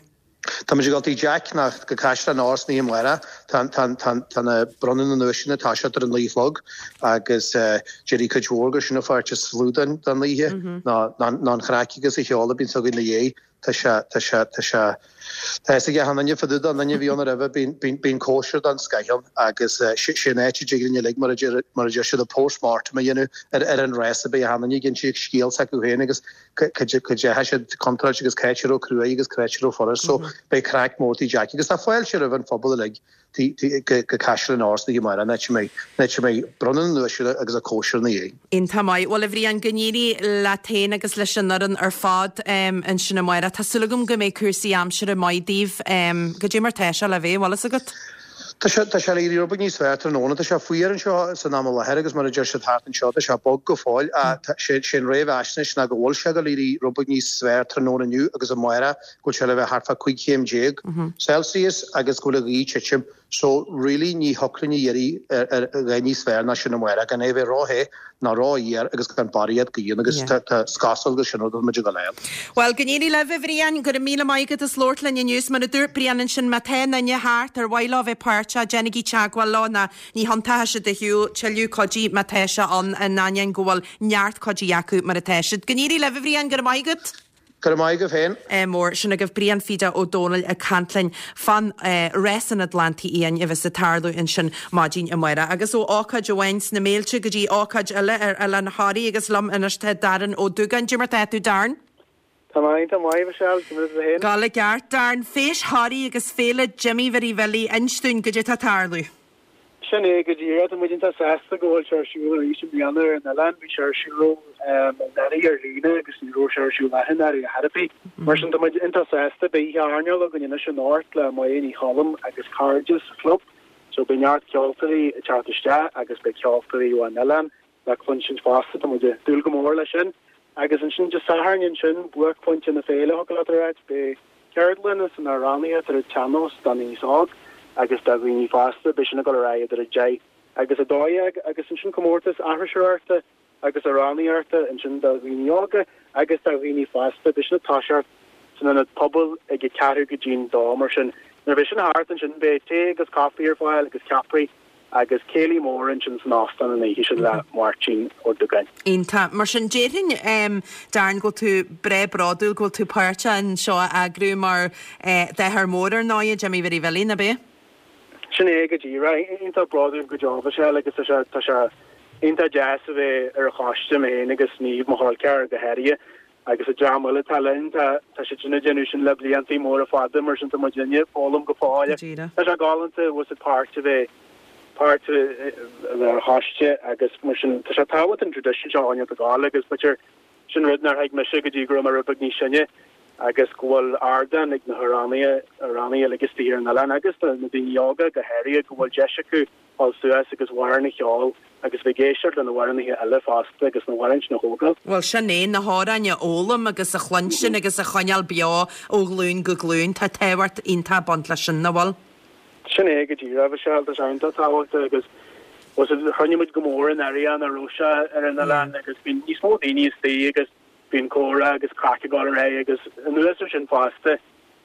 Tá muid ag dul tigh Jack nó go Caisleán Óir san oíche amárach. Tá tá tá tá na bronnadh na nduaiseanna ag toiseacht ar a 9 a chlog agus déarfaidh cuid mhór gur sin an pháirt is lú den den oíche ná ná ná an chraic agus an cheol a bíonns againn ina dhiaidh. Tá sé tá sé tá sé tá fhios ag achan duine fá dtaobh den duine a bhí ann roimhe bíonn bíonn bíonn cóisir den scoith ann agus sé sé an áit a dtig linn uilig mar a deir mar a deir siad an post-mortem a dhéanamh ar ar an rás beidh achan duine ag inse scéal s'acu féin agus cá ndeachaigh siad contráilte agus cá háit a raibh cruaidh agus cá háit a raibh furast so beidh craic mór tigh Jackie agus tá fáilte roimh an phobal uilig go Caisleán Óir san oíche amárach an áit a mbeidh an áit a mbeidh bronnadh na nduaiseanna agus an cóisir ina dhiaidh. Iontach maith. Bhuel a Bhriain, go n-éirí leat féin agus leis an fhoireann ar fad ansin amárach. Tá súil agam go mbeidh cúrsaí aimsire maith daoibh. Goidé mar tá sé le bheith, bhfuil fhios agat? Tá sé, tá sé le éirí rud beag níos fearr tráthnóna. Tá sé fuar anseo san am i láthair agus mar a deir siad thart anseo, tá sé bog go fóill. Ach sé, sé an réamhaisnéis ná go bhfuil sé ag dul éirí rud beag níos fearr tráthnóna inniu agus amárach, go bhfuil sé le bheith thart fá 15 chéim Celsius agus go bhfuil an ghaoth ag titim. So really ní thiocfadh linn a iarraidh ar, ar a dhath níos fearr ná sin amárach, gan é a bheith ró-the ná ró-fhuar agus gan barraíocht gaoithe agus tá is cosúil gur sin rud atá muid ag dul a fháil. Bhuel, go n-éirí libh, a Bhriain. Go raibh míle maith agat as labhairt linn inniu. Is mar a dúirt Brian ansin, má tá aon duine thart ar mhaith leo a bheith páirteach, déanaigí teagmháil leo nó ní thiontóidh siad ar shiúl tuilleadh cuidí má tá sé ann, in ainneoin go bhfuil neart cuidí acu mar atá siad. Go n-éirí libh, a Bhriain, go raibh maith agat. Go raibh maith agaibh féin. Mór. Sin agaibh Brian Pheda Ó Dónaill ag caint linn fán Rás an Atlantaigh Fhiáin a bheas ag tarlú ansin maidin amárach. Agus ó ócáid amháin sna mílte go dtí ócáid eile ar Oileán Thoraí agus liom anois tá Darren Ó Dúgáin. Goidé mar tá tú Darren? Tá mé iontach maith, Michelle. Goidé mar atá tú féin? Ag gabháil i gceart, Darren. Feis Thoraí agus Féile Jimí Mhary Bhilí, inis dúinn goidé tá ag tarlú. Sin é go díreach. Tá muid iontach sásta go bhfuil sé ar siúl arís i mbliana ar an oileán. Bhí sé ar siúl anuraidh ar líne agus ní raibh sé ar siúl anuraidh ar chor ar bith. Mar sin tá muid iontach sásta. Beidh oíche airneáil againn anois anocht le Máire Ní Choilm agus cairde sa chlub. So beidh neart ceoltóirí ag teacht isteach agus beidh ceoltóirí ó an oileán le cluinstin fosta. Tá muid ag dúil go mór leis sin. Agus ansin Dé Sathairn ansin, buaicphointe na féile, thiocfadh leat a ráit, beidh ceardlanna san amhránaíocht ar an tsean-nós don aos óg agus do dhaoine fásta. Beidh sin ag dul ar aghaidh idir 10 agus 12 agus ansin comórtas aithriseoireachta agus amhránaíochta ansin do dhaoine óga agus do dhaoine fásta. Beidh sin ag toiseacht san ionad pobail ag a ceathrú go dtí'n dó mar sin. Nuair a bheidh sin thart ansin beidh tae agus caife ar fáil agus ceapairí agus céilí mór ansin san óstán an oíche sin le Máirtín Ó Dúgáin. Iontach. Mar sin, déarfainn, Darren, go bhfuil tú breá bródúil go bhfuil tú páirteach in seo a eagrú mar d'athair mór ar ndóighe, Jimí Mhary Bhilí, ná bea? Sin é go díreach. Iontach bródúil go deo, Michelle, agus tá sé, tá sé iontach deas a bheith ar an choiste mé féin agus Niamh, mo chol ceathrar go háirithe. Agus an dream eile atá linn, tá siad sin ag déanamh sin le bliantaí móra fada, mar sin tá muidinne ag foghlaim go fóill. Tá sé galánta bhfuil a fhios agat páirt a bheith, páirt a bheith ar choiste agus mar sin tá sé tábhachtach an tradition seo a choinneáil ag gabháil agus b'fhéidir sin rud nár thuig mise go dtí go raibh mé rud beag níos sine. agus go bhfuil ardán ag na hamhránaithe, amhránaithe uilig istigh ar an oileán agus na daoine óga go háirithe, go bhfuil deis acu dul suas agus amhrán a cheol agus bheith ag éisteacht le na hamhránaithe eile fosta agus na hamhráin sin a thógáil. Bhuel, sin é, na hamhráin a fhoghlaim agus a chluinstin agus a choinneáil beo ó ghlúin go glúin. Tá tábhacht iontach ag baint leis sin, nach bhfuil? Sin é go díreach, Michelle, tá sé iontach tábhachtach agus chruinnigh muid go mór anuraidh nach raibh sé ar an oileán agus bíonn níos mó daoine istigh agus bíonn comhrá agus craic ag dul ar aghaidh agus anuas ar sin fosta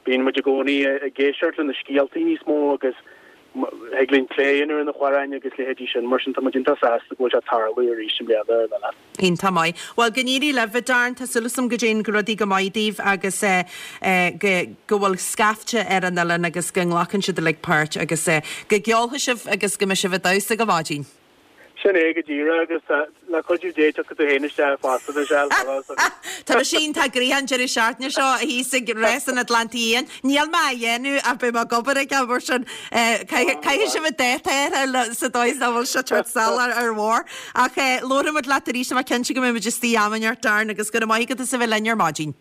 bíonn muid i gcónaí ag éisteacht le na scéaltaí níos mó agus thig linn plé a dhéanamh ar na hamhráin agus leithéidí sin mar sin tá muid iontach sásta go bhfuil sé ag tarlú arís i mbliana ar an oileán. Iontach maith. Bhuel go n-éirí libh a Darren, tá súil agam go dtéann rudaí go maith daoibh agus go go bhfuil scaifte ar an oileán agus go nglacann siad uilig páirt agus go gceolfaidh sibh agus go mbeidh sibh ag damhsa go maidin. Sin é go díreach agus le cuidiú Dé tiocfaidh tú féin isteach fosta Michelle, tá a fhios agat. Tá mise iontach gnoitheach an deireadh seachtaine seo thíos ag rás an Atlantaigh Fhiáin. Níl mé á dhéanamh ach beidh mé ag obair aige mar sin caithfidh sibh an dáta a fháil sa dóigh is nach bhfuil sé ag teacht salach ar bharr. Ach labharfaidh muid leat arís, tá mé cinnte go mbeidh muid istigh am inteacht Darren agus go raibh maith agat as a bheith linn ar maidin.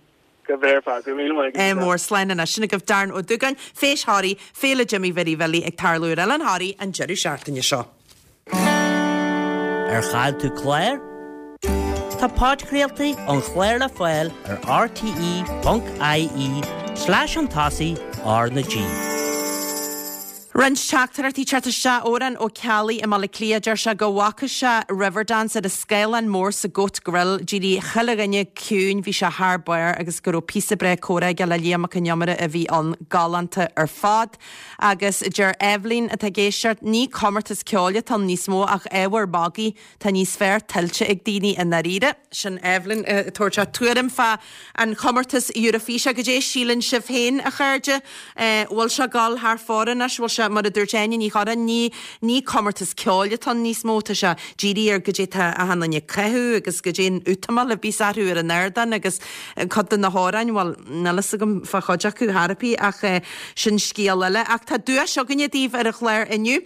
Go bhfear fad, go raibh míle maith agat. Mór slán anois. Sin agaibh Darren Ó Dúgáin, Feis Thoraí, Féile Jimí Mhary Bhilí ag tarlú ar Oileán Thoraí an deireadh seachtaine seo. Ar chaill tú clár? Tá podchraoltaí an chláir le fáil ar rte.ie slash chun tosaigh R na G. Roinnt teachtaireachtaí ag teacht isteach. Odhrán Ó Ceallaigh i mBaile Átha Cliath, deir sé go bhfaca sé Riverdance ar an scáileán mór sa Goat Grill. D'éirigh chuile dhuine ciúin, bhí sé thar barr agus go raibh píosa breá comhrá aige le Liam Mac Con Iomaire a bhí ann. Galánta ar fad. Agus deir Eibhlín atá ag éisteacht, ní comórtas ceoil atá ann níos mó ach ábhar magaidh. Tá níos fearr tuillte ag daoine i ndáiríre. Sin Eibhlín ag tabhairt a tuairim fá an chomórtas Eurofíse. Goidé síleann sibh féin, a chairde? Bhfuil sé ag dul thar fóir anois? Bhfuil sé, mar a dúirt Áine Ní Churráin, ní, ní comórtas ceoil atá ann níos mó, tá sé dírithe ar goidé tá achan duine ag caitheamh agus goidé an útamáil a bíos orthu ar an ardán agus cuid de na hamhráin, bhuel, níl fhios agam fá chuid acu thar ar bith ach sin scéal eile. Ach tá duais againne daoibh ar an chlár inniu.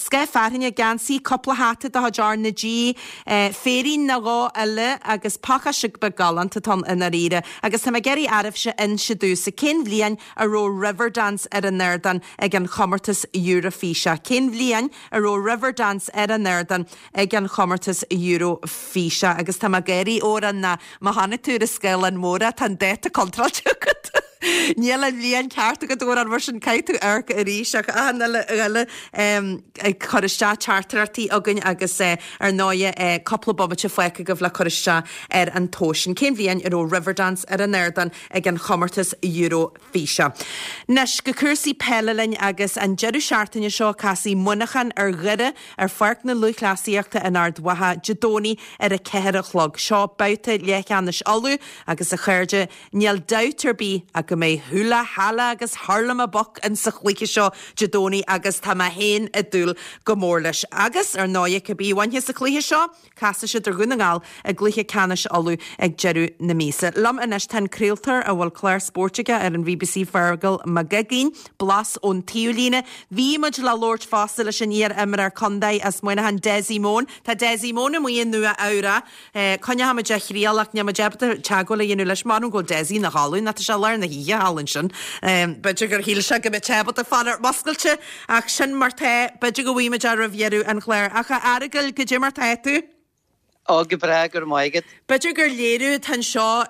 Scoth fearthainne, geansaí, cúpla hata de chuid R na G, féirín nó dhó eile agus pacáiste beag galánta atá ann i ndáiríre. Agus tá mé ag iarraidh oraibhse inse domhsa cén bhliain a raibh Riverdance ar an ardán ag an chomórtas Eurofíse? Cén bhliain a raibh Riverdance ar an ardán ag an chomórtas Eurofíse? Agus tá mé ag gáirí, Odhrán, ná má chonaic tú ar an scáileán mór é, tá an dáta contráilte agat. Níl an bhliain ceart agat, Odhrán, mar sin caithfidh tú amharc arís ach achan uile dhuine ag cur isteach teachtaireachtaí againn agus ar ndóighe cúpla bomaite fágtha agaibh le cur isteach ar an tomhas sin. Cén bhliain a raibh Riverdance ar an ardán ag an chomórtas Eurofíse? Anois go cúrsaí peile linn agus an deireadh seachtaine seo casfaidh Muineachán ar Dhoire ar Pháirc na Lúthchleasaíochta in Ard Mhacha Dé Domhnaigh ar a 4 a chlog. Seo babhta leathcheannais Uladh agus a chairde Níl dabht ar bith ach go mbeidh hula hala agus hurlamaboc in sa chluiche seo Dé Domhnaigh agus tá mé féin ag dúil go mór leis. Agus, ar ndóighe, cibé a bhainfeas an cluiche seo, casfaidh siad ar Dhún na nGall i gcluiche ceannais Uladh ag deireadh na míosa. Liom anois tá an craoltóir a bhfuil clár spóirt aige ar an bbc, Feargal Mac Uiginn, Blas ón Taobhlíne. Bhí muid le labhairt fosta leis an iar-imreoir contae as Muineachán, Dessie Mone. Tá Dessie Mone amuigh i Nua Eabhrac. Coinneochaimid a thriail ach níl muid ábalta teagmháil a dhéanamh leis. M'anam go bhfuil Dessie ina chodladh nó tá sé lár na hoíche thall ansin. B'fhéidir gur shíl sé go mbeadh sé ábalta fanacht múscailte ach sin mar tá. B'fhéidir go bhfaighimid é roimh dheireadh an chláir. Ach a Fheargail, goidé mar tá tú? Ó, go breá, go raibh maith agat. B'fhéidir gur léiriú atá anseo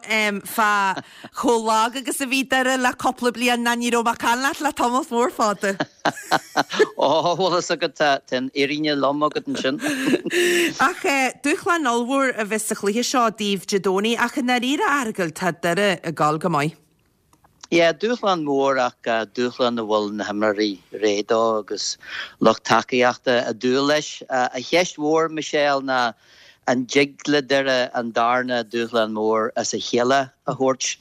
fá chomh lag agus a bhí Doire le cúpla bliain ná ní raibh mé ag caint leat le tamall mór fada. Ó, bhfuil fhios agat, tá an fhírinne lom agat ansin. Ach dúshlán ollmhór a bheas sa chluiche seo daoibh Dé Domhnaigh ach i ndáiríre, a Fheargail, tá Doire ag gabháil go maith. Yeah, dúshlán mór ach dúshlán a bhfuil na himreoirí réidh dó agus lucht tacaíochta ag dúil leis. An cheist mhór, Michelle, ná an dtig le Doire an darna dúshlán mór as a chéile a thabhairt.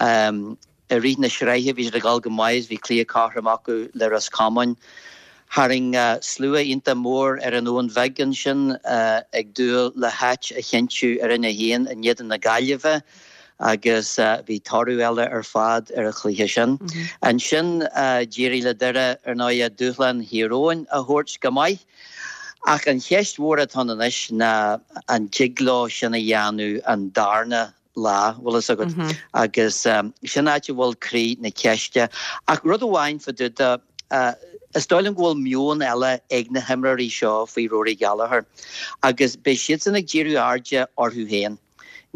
I rith na sraithe bhí siad ag dul go maith, bhí cluiche cothrom acu le Ros Comáin. Tharraing slua iontach mór ar an Abhainn Bheag ansin ag dúil le háit a chinntiú ar Roinn 1 in éadan na Gaillimhe. agus bhí toradh eile ar fad ar an chluiche sin. Ansin d'éirigh le Doire, ar ndóigh, dúshlán Thír Eoghain a thabhairt go maith. Ach an cheist mhór atá ann anois ná an dtig leo sin a dhéanamh an darna. lá, bhfuil fhios agat, agus sin áit a bhfuil croí na ceiste. Ach rud amháin fá dtaobh de, is dóigh liom go bhfuil meon eile ag na himreoirí seo faoi Rory Gallagher agus beidh siadsan ag díriú airde orthu féin.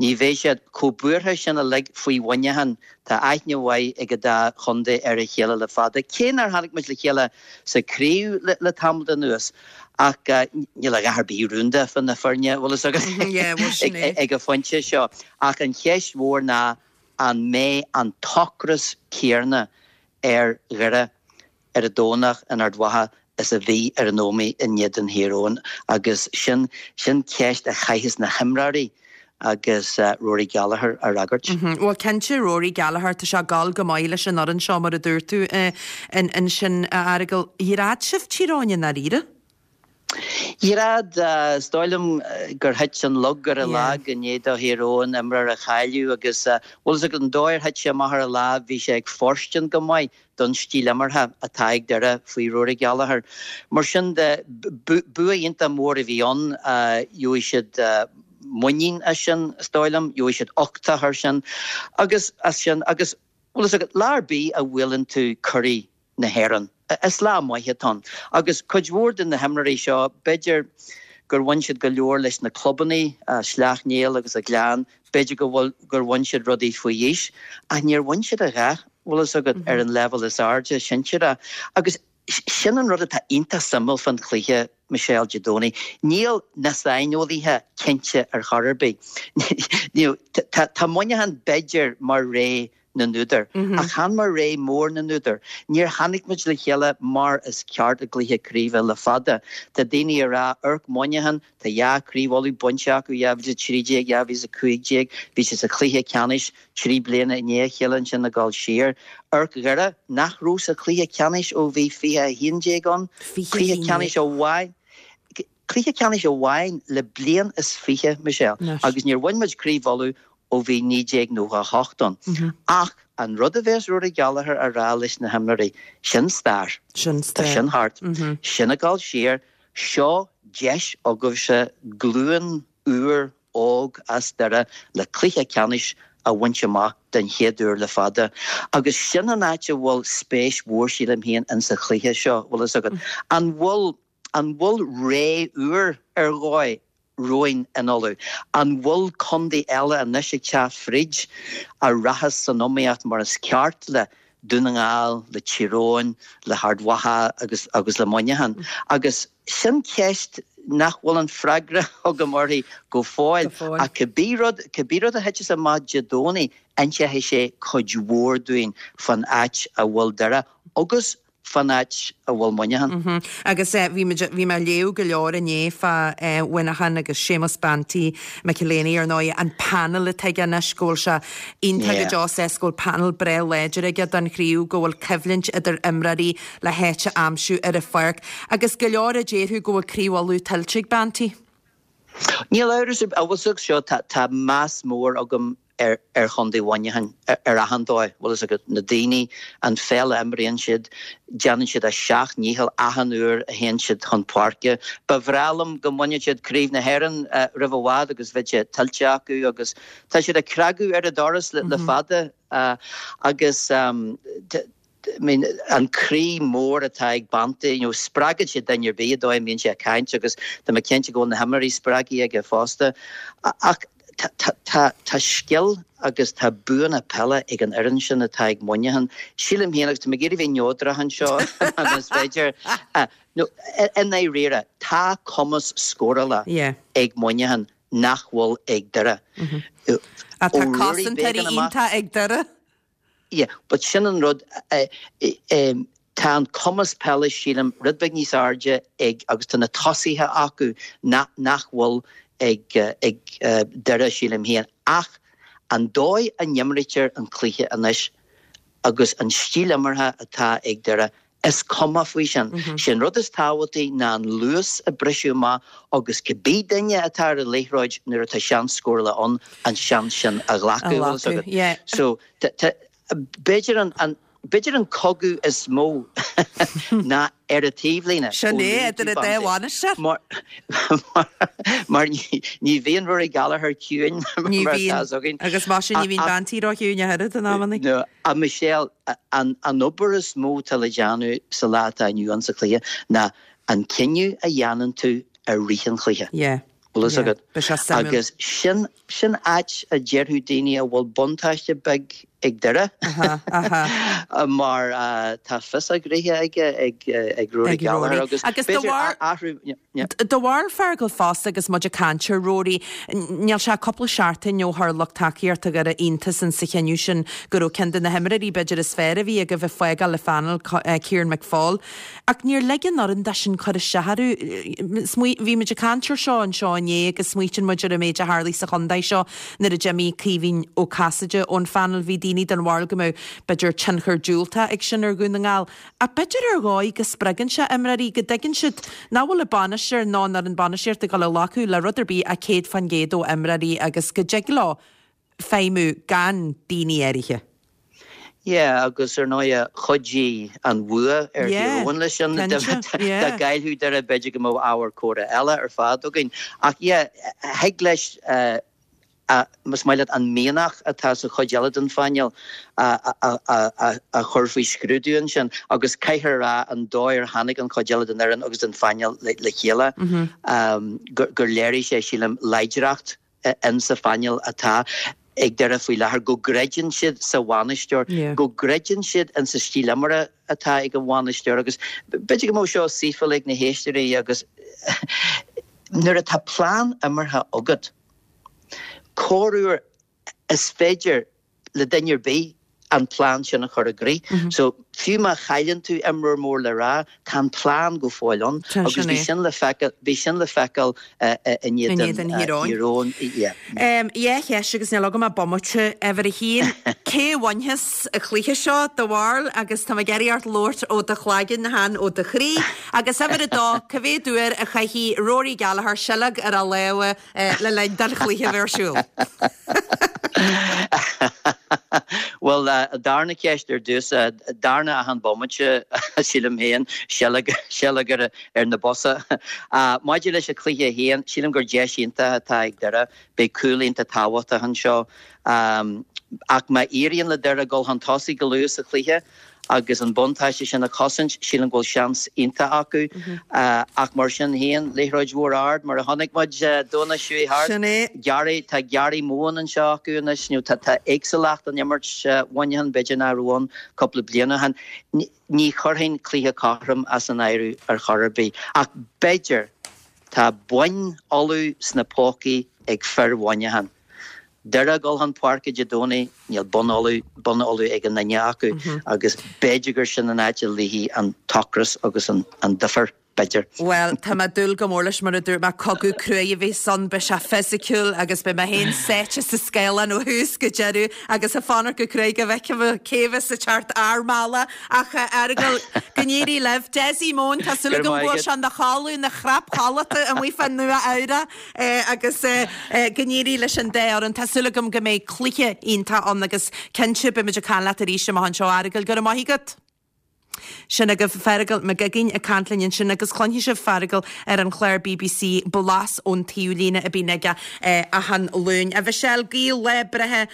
Ní bheidh siad chomh buartha sin uilig faoi Mhuineachán, tá aithne mhaith ag an dá chontae ar a chéile le fada, cé nár tháinig muid le chéile sa chraobh le tamall anuas. Ach níl a dhath ar bith rúnda fá na foirne, bhfuil fhios agat, ag an phointe seo. Ach an cheist mhór ná an mbeidh an t-ocras céanna ar Dhoire ar an Domhnach in Ard Mhacha is a bhí ar an Ómaigh in éadan Thír Eoghain agus sin sin ceist a chaithfeas na himreoirí agus Rory Gallagher a fhreagairt. Bhuel cinnte Rory Gallagher, tá sé ag gabháil go maith leis an fhoireann seo mar a dúirt tú ansin a Fheargail. Dhread sibh Tír Eoghain i ndáiríre? Dhread, is dóigh liom gur thit an lug ar a lag i ndiaidh do Thír Eoghain imreoir a chailleadh agus bhfuil fhios agat an dóigh ar thit sé amach ar a lámh bhí sé ag fóirstean go maith don stíl imeartha atá ag Doire faoi Rory Gallagher. Mar sin de, bua iontach mór a bhí ann, gheobhaidh siad muinín as sin, is dóigh liom, gheobhaidh siad uchtach ar sin agus as sin agus bhfuil fhios agat, lá ar bith a bhuaileann tú curaidh na hÉireann. Is lá maith atá ann. Agus cuid mhór de na himreoirí seo, b'fhéidir gur bhain siad go leor leis na clubannaí, Sleacht Néill agus an Gleann, b'fhéidir go bhfuil, gur bhain siad rudaí faoi aois, ach níor bhain siad a dhath, bhfuil fhios agat, ar an leibhéal is airde, sinsearach. Agus sin an rud atá iontach suimiúil fán chluiche, Michelle, Dé Domhnaigh. Níl na saineolaithe cinnte ar chor ar bith. Tá Muineachán b'fhéidir mar ré na n-údar. Ach chan mar ré mór na n-údar. Níor tháinig muid le chéile mar is ceart i gcluiche craoibhe le fada. Tá daoine ag rá, amharc Muineachán, tá dhá Craobh Uladh bainte acu, 2013, 2015, bhí siad sa chluiche ceannais trí bliana i ndiaidh a chéile ansin ag dul siar. Amharc Dhoire, nach raibh sa chluiche ceannais ó bhí 2011 ann. Cluiche ceannais amháin. Cluiche ceannais amháin le bliain is fiche, Michelle, agus níor bhain muid Craobh Uladh ó bhí 1998 ann. Ach an rud a bheas Rory Gallagher a rá leis na himreoirí, sin stair. Tá sin thart. Sin ag dul siar. Seo deis agaibhse glúin úr óg as Doire le cluiche ceannais a bhaint amach den chéad uair le fada. Agus sin an áit a bhfuil spéis mhór sílim féin insa chluiche seo, bhfuil fhios agat. An bhfuil An bhfuil ré úr ar dhóigh romhainn in Ulaidh? An bhfuil contae eile anois ag teacht fríd a rachas san iomaíocht mar is ceart le Dún na nGall, le Tír Eoghain, le hArd Mhacha agus agus le Muineachán? Agus sin ceist nach bhfuil an freagra agam uirthi go fóill ach cibé rud, cibé rud a thiteas amach Dé Domhnaigh, inseoidh sé cuid mhór dúinn fán áit a bhfuil Doire agus fán áit a bhfuil Muineachán. Agus bhí muid, bhí mé ag léamh go leor inné fá Mhuineachán agus Séamus Banty McEleney ar ndóigh, an panel atá aige anois, go bhfuil sé iontach go deo sásta go bhfuil panel breá láidir aige don chraobh, go bhfuil coimhlint idir imreoirí le háit a aimsiú ar an pháirc. Agus go leor a déarfadh go bhfuil Craobh Uladh tuillte ag Banty. Níl amhras ar bith, bhfuil fhios agat seo, tá meas mór agam ar Chontae Mhuineacháin ar achan dóigh, bhfuil fhios agat, na daoine, an pheil a imríonn siad, déanann siad a seacht ndícheall achan uair a théann siad chun páirce. Ba bhreá liom go mbainfeadh siad Craobh na hÉireann roimh i bhfad agus bheadh sé tuillte acu agus tá siad ag cnagadh ar an doras le fada agus I mean, an croí mór atá ag Banty, you know, spreagann sé duine ar bith an dóigh a mbíonn sé ag caint agus tá mé cinnte go bhfuil na himreoirí spreagtha aige fosta. Ach tá tá scil agus tá buanna peile ag an fhoireann sin atá ag Muineachán. Sílim féin, agus tá mé ag iarraidh bheith neodrach anseo más féidir, no, i ndáiríre, tá cumas scórála ag Muineachán nach bhfuil ag Doire. Tá cosantóirí iontach ag Doire. Yeah, but sin an rud, tá an cumas peile, sílim, rud beag níos airde ag, agus tá na tosaithe acu nach bhfuil ag, ag Doire, sílim féin. Ach an dóigh a n-imrítear an cluiche anois agus an stíl imeartha atá ag Doire, Is cuma faoi sin. Sé an rud is tábhachtaí ná an luas a briseadh amach agus cibé duine atá ar an liathróid nuair atá seans scórála ann, an seans sin a ghlacadh, bhfuil fhios agat. So, b'fhéidir an. b'fhéidir an cogadh is mó ná ar an taobhlíne. Sin é, idir an dá bhainisteoir. Mar, mar ní bhíonn Rory Gallagher ciúin mar atá fhios againn. Agus mar sin ní bhíonn bean tí ró-chiúin ach oiread in amannaí. No, a Michelle, an obair is mó atá le déanamh sa lá atá inniu ann sa chluiche ná an cinneadh a dhéanann tú i rith an chluiche. Yeah. Bhfuil fhios agat? Agus sin, sin áit a déarfadh daoine a bhfuil buntáiste beag ag Doire mar tá fios a ghnoithe aige ag Rory Gallagher agus b'fhéidir athrú. Do bharúil Feargal fosta agus muid ag caint ar Rory, níl sé cúpla seachtain ó chuir lucht tacaíochta Dhoire iontas insa chinneadh sin go raibh ceann de na himreoirí b'fhéidir is fearr a bhí agaibh ag fágáil an phainéal, Kieran McFaul. Ach níor lig an fhoireann dó sin cur isteach orthu. Bhí muid ag caint ar seo anseo inné agus smaoitíonn muid ar an méid a tharlaigh sa chontae seo nuair a d'imigh Caoimhín Ó Casaide ón phainéal. Bhí daoine den bharúil go mbeadh, b'fhéidir, tionchar diúltach ag sin ar Dhún na nGall. Ach b'fhéidir ar dhóigh go spreagann sé imreoirí, go dtuigeann siad nach bhfuil an bainisteoir ná an fhoireann bainistíochta ag dul a ghlacadh le rud ar bith ach 100% ó imreoirí agus go dtig leo feidhmiú gan daoine áirithe. Yeah, agus ar ndóigh chuidigh an bhua ar Thír Eoghain leis sin. Dá gcaillfeadh Doire b'fhéidir go mbeadh ábhar comhrá eile ar fad againn. Ach yeah, thig leis, más maith leat, an mianach atá sa chuid eile den phainéal a chur faoi scrúdú ansin. Agus caithfear a rá an dóigh ar tháinig an chuid eile den fhoireann agus den phainéal le chéile, gur léirigh sé, sílim, láidreacht insa phainéal atá ag Doire faoi láthair, go gcreideann siad sa bhainisteoir, go gcreideann siad insa stíl imeartha atá ag an bhainisteoir agus b'fhéidir go mbeadh seo saoithiúil ag na héisteoirí agus nuair atá plean imeartha agat, corruair is féidir le duine ar bith an plean sin a chur i gcrích. So, fiú má chailleann tú imreoir mór le rá, tá an plean go fóill ann agus bhí sin le feiceáil, bhí sin le feiceáil in éadan Thír Eoghain. Yeah. Dhá cheist agus níl agam ach bomaite. Uimhir a haon, cé a bhainfeas an cluiche seo, do bharúil, agus tá mé ag iarraidh ort labhairt ó do chloigeann, chan ó do chroí. Agus uimhir a dó, cá mhéad uair a chaithfidh Rory Gallagher seilg ar a lámha le linn don chluiche a bheith ar siúl? Bhuel, darna ceist ar dtús, darna achan bomaite, sílim féin, seilg, seilg ar, ar na bosa. Maidir leis an chluiche féin, sílim gur deis iontach atá ag Doire. Beidh cúl iontach tábhachtach anseo. Ach má éiríonn le Doire dul chun tosaigh go luath sa chluiche, agus an buntáiste sin a chosaint, sílim go bhfuil seans iontach acu. Ach mar sin féin, liathróid mhór ard, mar a chonaic muid Domhnach seo chuaigh thart. Sin é. Gary, tá Gary Mohan anseo acu anois, nó tá tá éagsúlacht in imirt Mhuineacháin, b'fhéidir nach raibh ann cúpla bliain ó shin. Ní chuirfinn cluiche cothrom as an áireamh ar chor ar bith. Ach b'fhéidir, tá boinn ullamh sna pócaí ag fir Mhuineacháin. Doire ag dul chun páirce Dé Domhnaigh, níl bonn ullamh, bonn ullamh ag aon duine acu agus b'fhéidir gur sin an áit a luífidh an t-ocras agus an difear, b'fhéidir. Bhuel, tá mé ag dúil go mór leis, mar a dúirt mé, cogadh cruaidh a bheas ann, beidh sé fisiciúil agus beidh mé féin sáite sa scáileán ó thús go deireadh agus ag fanacht go cruaidh go bhfeicfidh mé cé bheas ag teacht ár mbealach. Ach, a Fheargail, go n-éirí libh. Dessie Mohan, tá súil agam go bhfuil sé ina chodladh, ina chrap chodlata amuigh fá Nua Eabhrac. Agus go n-éirí leis an dá fhoireann. Tá súil agam go mbeidh cluiche iontach ann agus cinnte beidh muid ag caint leat arís amach anseo. A Fheargail, go raibh maith agat. Sin agaibh Feargal Mac Uiginn ag caint linn ansin agus cluinfidh sibh Feargal ar an chlár bbc Blas ón Taobhlíne a bíonn aige achan Luan. A Mhichelle, guím lá breithe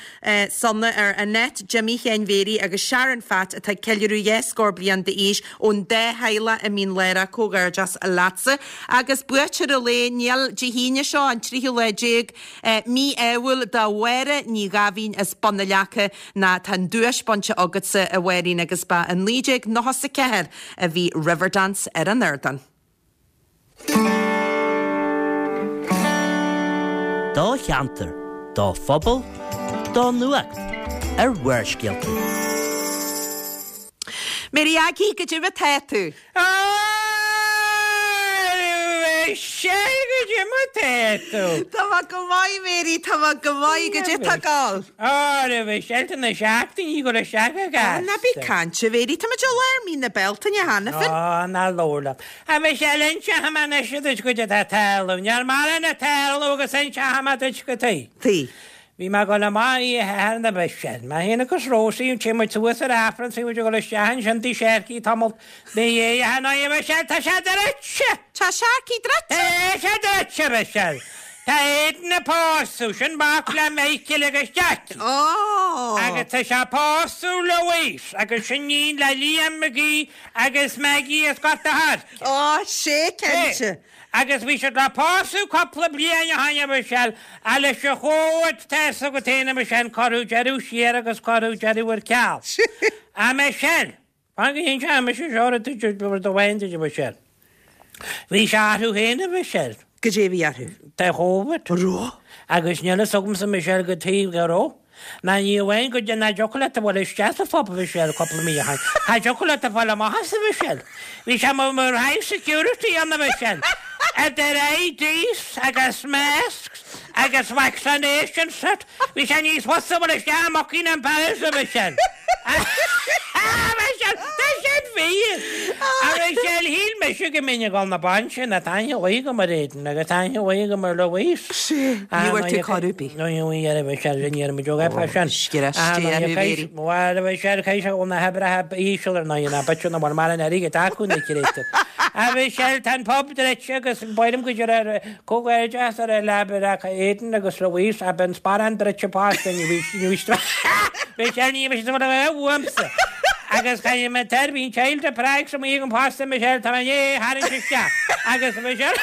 sona ar Annette, Jimmy Sheáin Mhéirí agus Sharon Phat atá ag ceiliúradh dhá scór bliain d'aois ón dá theaghlach i Mín Lárach. Comhghairdeas leatsa. Agus buaiteoir an lae, níl, Dé hAoine seo, an tríú lá déag, mí-ádhúil do Mháire Ní Ghaibhín as Bun na Leaca ná tá an duais bainte agatsa, a Mháirín, agus ba i 1994 a bhí Riverdance ar an ardán. Do cheantar, do phobal, do nuacht ar Bharrscéalta. Mary Aggie, goidé mar tá tú? Michelle, goidé mar tá tú? Tá mé go maith, Mary, tá mé go maith. Goidé tá ag gabháil? Ó, Michelle, tá na seachtainí ag dul isteach go gasta. Ná bí ag caint, a Mhary, tá muid i lár mí na Bealtaine cheana féin. Ó, ná labhair liom. A Mhichelle, inseoidh mé anois duit goidé atá ag tarlú. Níl mórán ag tarlú agus inseoidh mé duit cad tuige. Tuige. Bhí mé ag dul amach oíche Shathairn a Mhichelle. Mé féin agus Rósaí, téann muid suas ar Aifreann, bhí muid ag dul isteach ansin tigh Sharkey tamall ina dhiaidh ach ar ndóigh a Mhichelle, tá sé druidte! Tá Sharkey druidte? Tá sé druidte, a Mhichelle. Tá Aidan ag pósadh, sin mac le Michael agus Jackie. Ó! Agus tá sé ag pósadh Louise agus sin iníon le Liam McGee agus Maggie as Gort a' Choirce. Ó, sé cinnte. Agus bhí siad le pósadh cupla bliain ó shoin a Mhichelle, ach leis an Chóvid, tá fhios agat féin a Mhichelle, cuireadh deireadh siar agus cuireadh deireadh ar ceal. A Mhichelle, fan go n-inseoidh mise seo rud duit, rud amháin duit a Mhichelle. Bhí sé orthu féin a Mhichelle. Goidé a bhí orthu? Tá Chóvid. Raibh? Agus níl fhios agamsa a Mhichelle cad chuige go raibh. Ná ní amháin go nach dtiocfadh leat a bhfuil isteach sa phub a Mhichelle cúpla mí ó shoin. Cha dtiocfadh leat a fáil amach as a Mhichelle. Bhí sé mar mar high security ann a Mhichelle. Idir IDs agus masks agus vaccination cert. Bhí sé níos fusa a bhfuil isteach i mBuckingham Palace a Mhichelle. A Mhichelle, tá sin fíor! A Mhichelle, shíl mise go mbeinn ag dul na bainse ná tá aithne mhaith agam ar Aidan agus tá aithne mhaith agam ar Louise. Sea, ní bhfuair tú cuireadh ar bith. Ní bhfuair a Mhichelle, ní raibh muid óg fá sin. Bhuel, a Mhichelle, caithfidh sé go bhfuil na hoibrithe íseal ar ndóigh, ná b'fhéidir nach bhfuil mórán airgid acu na créatúir. A Mhichelle, tá an pub druidte agus b'fhéidir go dtiocfaidh comhghairdeas ar le Aidan agus Louise, ach beidh an sparán druidte fosta, ní bhí Michelle, ní bhí siad a uaimse. Agus caithfidh mé tair, bhí an child of Prague sa mhaith agam fosta, Michelle, tá mé i ndiaidh é a tharraingt isteach. Agus Michelle,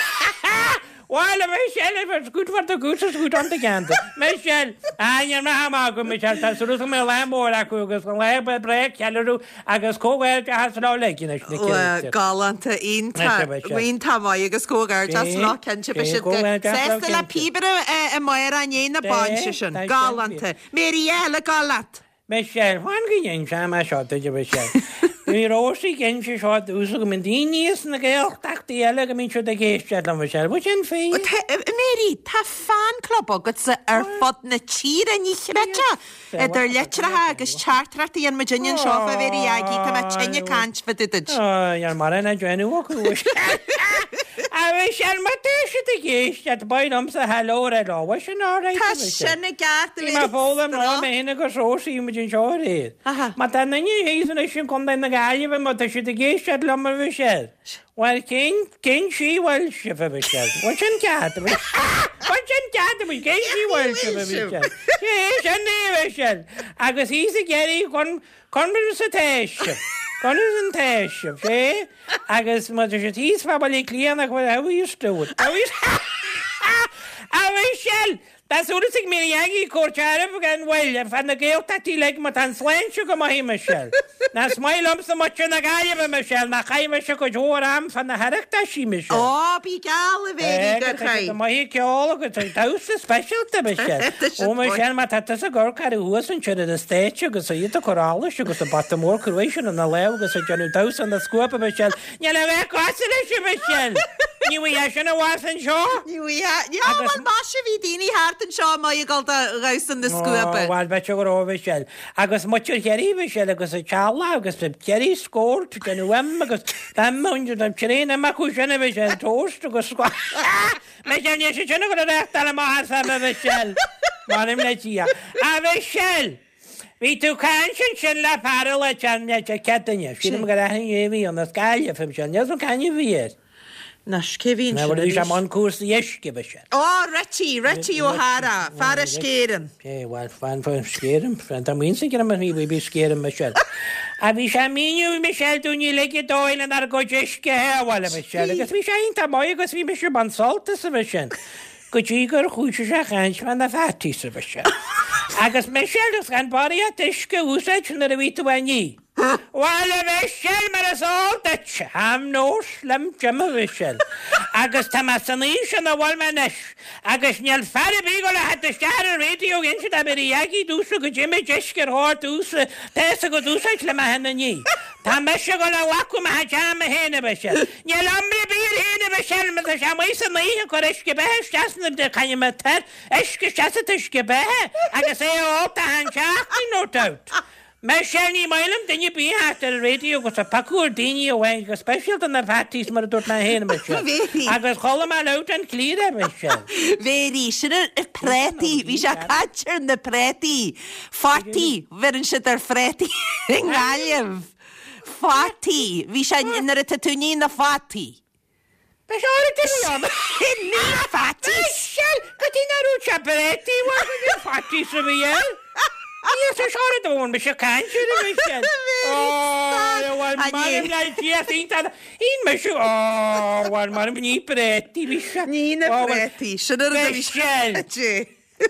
Bhuel, a Michelle, if it's good for the goose, it's good on the gander. Michelle, Ah, níl mé ag magadh, Michelle, tá súil agam go mbeidh lá mór acu agus an lá breá ceiliúradh agus comhghairdeachas leo uilig anois, na Bhuel, créatúir. galánta, iontach, Michelle, Michelle. iontach maith agus comhghairdeas Sé, leo, cinnte, beidh sé, siad go comhghairdeas leo, sásta le cinnte. píobaire amárach i ndiaidh na Sé, bainse sin. tá sin Galánta. fíor. Mary, eile, gabh leat. Michelle, Fan go n-inseoidh mé seo duit, a Mhichelle. Bhí Rósaí ag inse seo domhsa go mbíonn daoine as na Gaeltachtaí eile go mbíonn siad ag éisteacht liom, Michelle. Bhfuil sin fíor? Tá, Mary, tá fan club agatsa ar fud na tíre, ní chreidfeá! Idir litreacha agus teachtaireachtaí an muidinne anseo fá Mhary Aggie, tá mé tinn ag caint fá dtaobh duit. Níl mórán á déanamh acu. A Mhichelle, má tá siad ag éisteacht, ba mhaith liomsa hello a rá leo. Bhfuil sin alright, Tá a Mhichelle? sin i gceart, a Bhí mé Mhary. ag foghlaim lá mé féin agus Rósaí muid anseo aréir. Má tá duine thíos anois i gContae na Gaillimhe, má tá siad ag éisteacht liom, a Mhichelle, bhuel, cén, cén tslí a bhfuil sibh, a Mhichelle? Bhfuil sin ceart, a Mhichelle? Bhfuil sin ceart, a Mhichelle? Cén tslí a bhfuil sibh, a Mhichelle? Sé, sin é, a Mhichelle. Agus thíos i gCiarraí, con, Conas atá sibh? Conas atá sibh? Sé, agus má tá siad thíos fá Bhaile Átha Cliath nach bhfuil how are you doing? How are you A Mhichelle! Tá súil ag Mary Aggie cuairt oraibh gan mhoill ar feadh na Gaeltachtaí uilig má tá an tsláinte go maith, a Michelle. Ná is maith liomsa muintir na Gaillimhe, Michelle, nach chaith mise cuid mhór am fá na hOireachtaisí, Michelle. Ó, bí geall, a Mhary, gur Tá siad chaith. maith ag ceol agus ag damhsa speisialta, Michelle. Tá siad Ó, maith. Michelle, má tá tusa ag amharc orthu thuas ansin ar an stáitse agus iad ag cur allais agus an bata mór cruaidh sin ina lámh agus ag déanamh damhsa na scuaibe, Michelle, níl a bheith cosúil leis, a Mhichelle! Ní bhfuigheá sin abhus anseo! Ní bhfuigheá. Ní bhuel, maise, bhí daoine thart anseo amuigh ag dul do dhamhsa na scuaibe. Ó, bhuel, b'fhéidir go raibh, a Mhichelle. Agus muintir Chiarraí, a Mhichelle, agus a teaghlach agus the Kerry score to déanamh im agus im an traein im acu sin, a Mhichelle, toast agus Michelle, níl siad sin ag dul a reáchtáil amach as im, a Mhichelle. M'anam le Dia. A Mhichelle! Bhí tú ag caint ansin le fear a le cead duine. Sílim gur aithne é a bhí ann as Gaillimh, a Mhichelle. Níl 'fhios a'm c'ainm a bhí air. Anois, cé bhí ansin Bhí sé arís? i mbun cúrsaí uisce, a Mhichelle. Ó, Richie, Richie O'Hara, fear Uisce Éireann. É, bhuel, fan fan Uisce Éireann, fan tá muid sa gcream bhí bhí Uisce Éireann, Michelle. A bhí sé ag míniú, Michelle, dúinn uilig an dóigh lenár gcuid uisce a shábháil, a Mhichelle, agus bhí sé iontach maith agus bhí mise ag baint sult as, a Mhichelle, go dtí gur chuaigh sé ag caint fá na fataí, a Mhichelle. Agus Michelle, agus gan barraíocht uisce a úsáid nuair a bhí tú á ní. Bhuel, a Mhichelle, mar is eol duit, I'm no slim Jim, a Mhichelle, agus tá mé san aois ina bhfuil mé anois, agus níl fear ar bith ag dul a theacht isteach ar an raidió ag inse do Mary Aggie domhsa goidé méid uisce ar chóir domhsa tá's agat úsáid le mé féin a ní. Tá mise ag dul a ghlacadh mo chuid ama féin, a Mhichelle. Níl iomrá ar bith air féin, a Mhichelle, má tá sé amuigh san oíche ag cur uisce beatha isteach sna, caithfidh mé tar uisce isteach sa t-uisce beatha agus é a ól achan seachtain, no doubt. Michelle, ní maith liom duine ar bith a theacht ar an radio agus ag piocadh ar daoine amháin, go speisialta na fatties mar a dúirt mé féin, Michelle. Mary. Agus chuala mé loud and clear é, Michelle. Mary, sin ar na préataí, bhí sé ag caint ar na préataí. Fataí, bheireann siad ar phréataí i nGaillimh. Fataí, bhí sé nuair atá tú ag ní na fataí. Beidh sé ar an duine Ní faitíos! Michelle, Cad é nach raibh sé préataí uaidh go dtí faitíos a bhí air? Ní is seo a dúirt mise caint ar a Michelle. Ó, bhuel, mairim le Dia iontach. Shíl mise, ó, bhuel, mairim ní préataí, bhí sé. Ní na préataí, sin ar a bhí sé.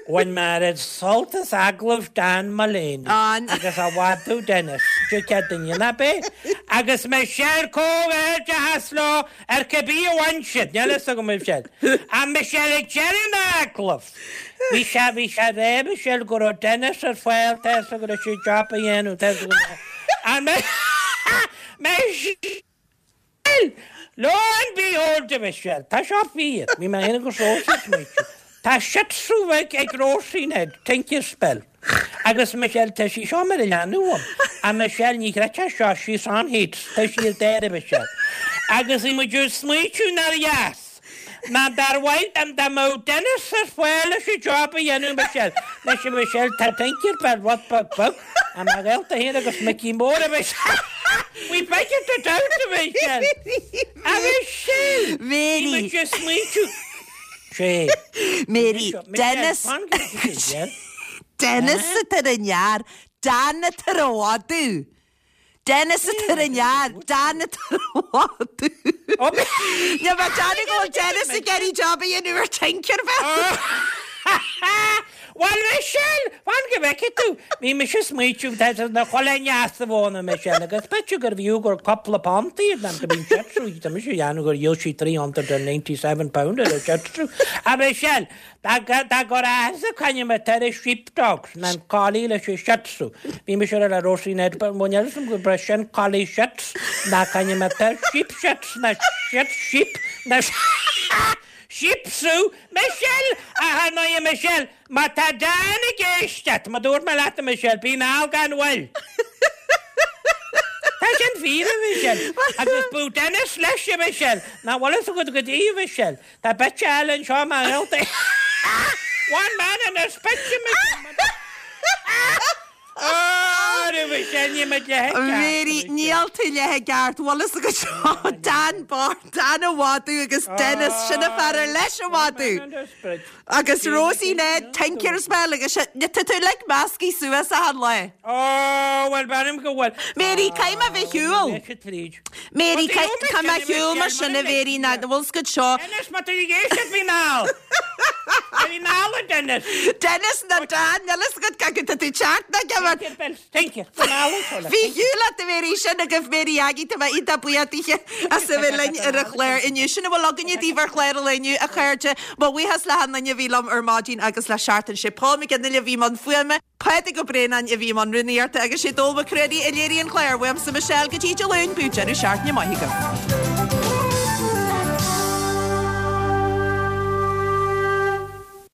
Bhain mé oiread sult as agallamh Dan Mullaney agus a mhadadh Dennis, cé duine nach b'é, agus Michelle comhghairdeachas leo ar cibé a bhain siad, níl a fhios agam a Michelle. Ach Michelle ag deireadh an agallaimh, bhí sé, bhí sé ag rá Michelle go raibh Dennis ar fáil, tá fhios agat leis an job a dhéanamh, tá fhios agat. Ach Michelle! Lo and behold, a Mhichelle, tá seo fíor. Bhí mé féin agus Róisín ag smaoitiú. Tá Shih Tzu bheag ag Róisín Ned, Tinker Bell. Agus Michelle, tá sí seo mar a leanbh uaim. A Michelle, ní chreidfeá seo, she's on heat. Tá sí ar dáir, a Mhichelle. Agus bhí muid ag smaoitiú nár dheas. Ná dar mhaith dom dá mbeadh Dennis ar fáil leis an job a dhéanamh Michelle. Anois a Mhichelle, tá Tinker Bell rud beag beag, ach mo ghaolta féin agus Micí Mór a Mhichelle. We figured it out a Mhichelle. A Mhichelle! Mary. Bhí muid ag smaointiú. Sé. Mary, Dennis. Dennis atá ar an fhear, Dan atá ar an mhadadh. Dennis atá ar an fhear, Dan atá ar an mhadadh. Níl mé ag déanamh go bhfuil Dennis ag iarraidh job a dhéanamh ar Tinker Bell. Bhuel, Michelle, fan go bhfeicfidh tú. Bhí mise ag smaoitiú, tá sé na chuile neas a bhóna, Michelle, agus b'fhéidir gurbh fhiú gur cúpla punt iad, go mbíonn Shih Tzu, tá mise ag déanamh gur dhíol sí £397 ar an Shih Tzu. A Michelle, Dá gur áthas a coinne mé tar éis sheepdogs ná an collie leis an shih tzu. Bhí mise ar le Róisín Ed but bhain fhios agam go raibh sin collie shits ná coinne mé tar sheep shits ná shit sheep ná sheep tzu Michelle! Ach ar ndóigh Michelle, má tá Dan ag éisteacht, mar dúirt mé leat a Michelle, bí mall gan mhoill. Tá sin fíor a Michelle. Agus bú Dennis leis a Michelle. Nach bhfuil fhios agat goidé a Michelle. Tá bit eile anseo mar ghaolta. One man and his bitch Mary, Níl tú leath i gceart, bhfuil fhios agat seo, Dan bocht, Dan a mhadadh agus Dennis, sin an fear ar leis an mhadadh. Agus Rosie Ned, Tinker's Bell agus sin, tá tú uilig meascaí suas achan lá. Ó, bhuel, b'ainm go bhfuil. Mary, caithfidh mé bheith shiúl. Mary, Caithfidh mé shiúl mar sin a Mhary, ná bhfuil fhios agat seo. Dennis, má tá tú ag éisteacht, bí mall. Bí mall, a Dennis. Dennis ná Dan, níl fhios agat cad tá tú teacht ná ceann. Tinker Bell, Tinker, bí mall anseo le. Bhí shiúl leat a Mhary, sin agaibh Mary Aggie, tá mé iontach buíoch daoithe as a bheith linn ar an chlár inniu. Sin a bhfuil againne daoibh ar chlár an lae inniu, a chairde. Mo bhuíochas le hachan duine a bhí liom ar maidin agus le seachtain. Sé Paul McGinley a bhí i mbun fuaime. Pádraig Ó Braonáin a bhí i mbun rúnaíochta agus sé Dónall Mac Ruairí a léirigh an clár. Uaimse Michelle go dtí Dé Luain, bíodh deireadh seachtaine maith agaibh.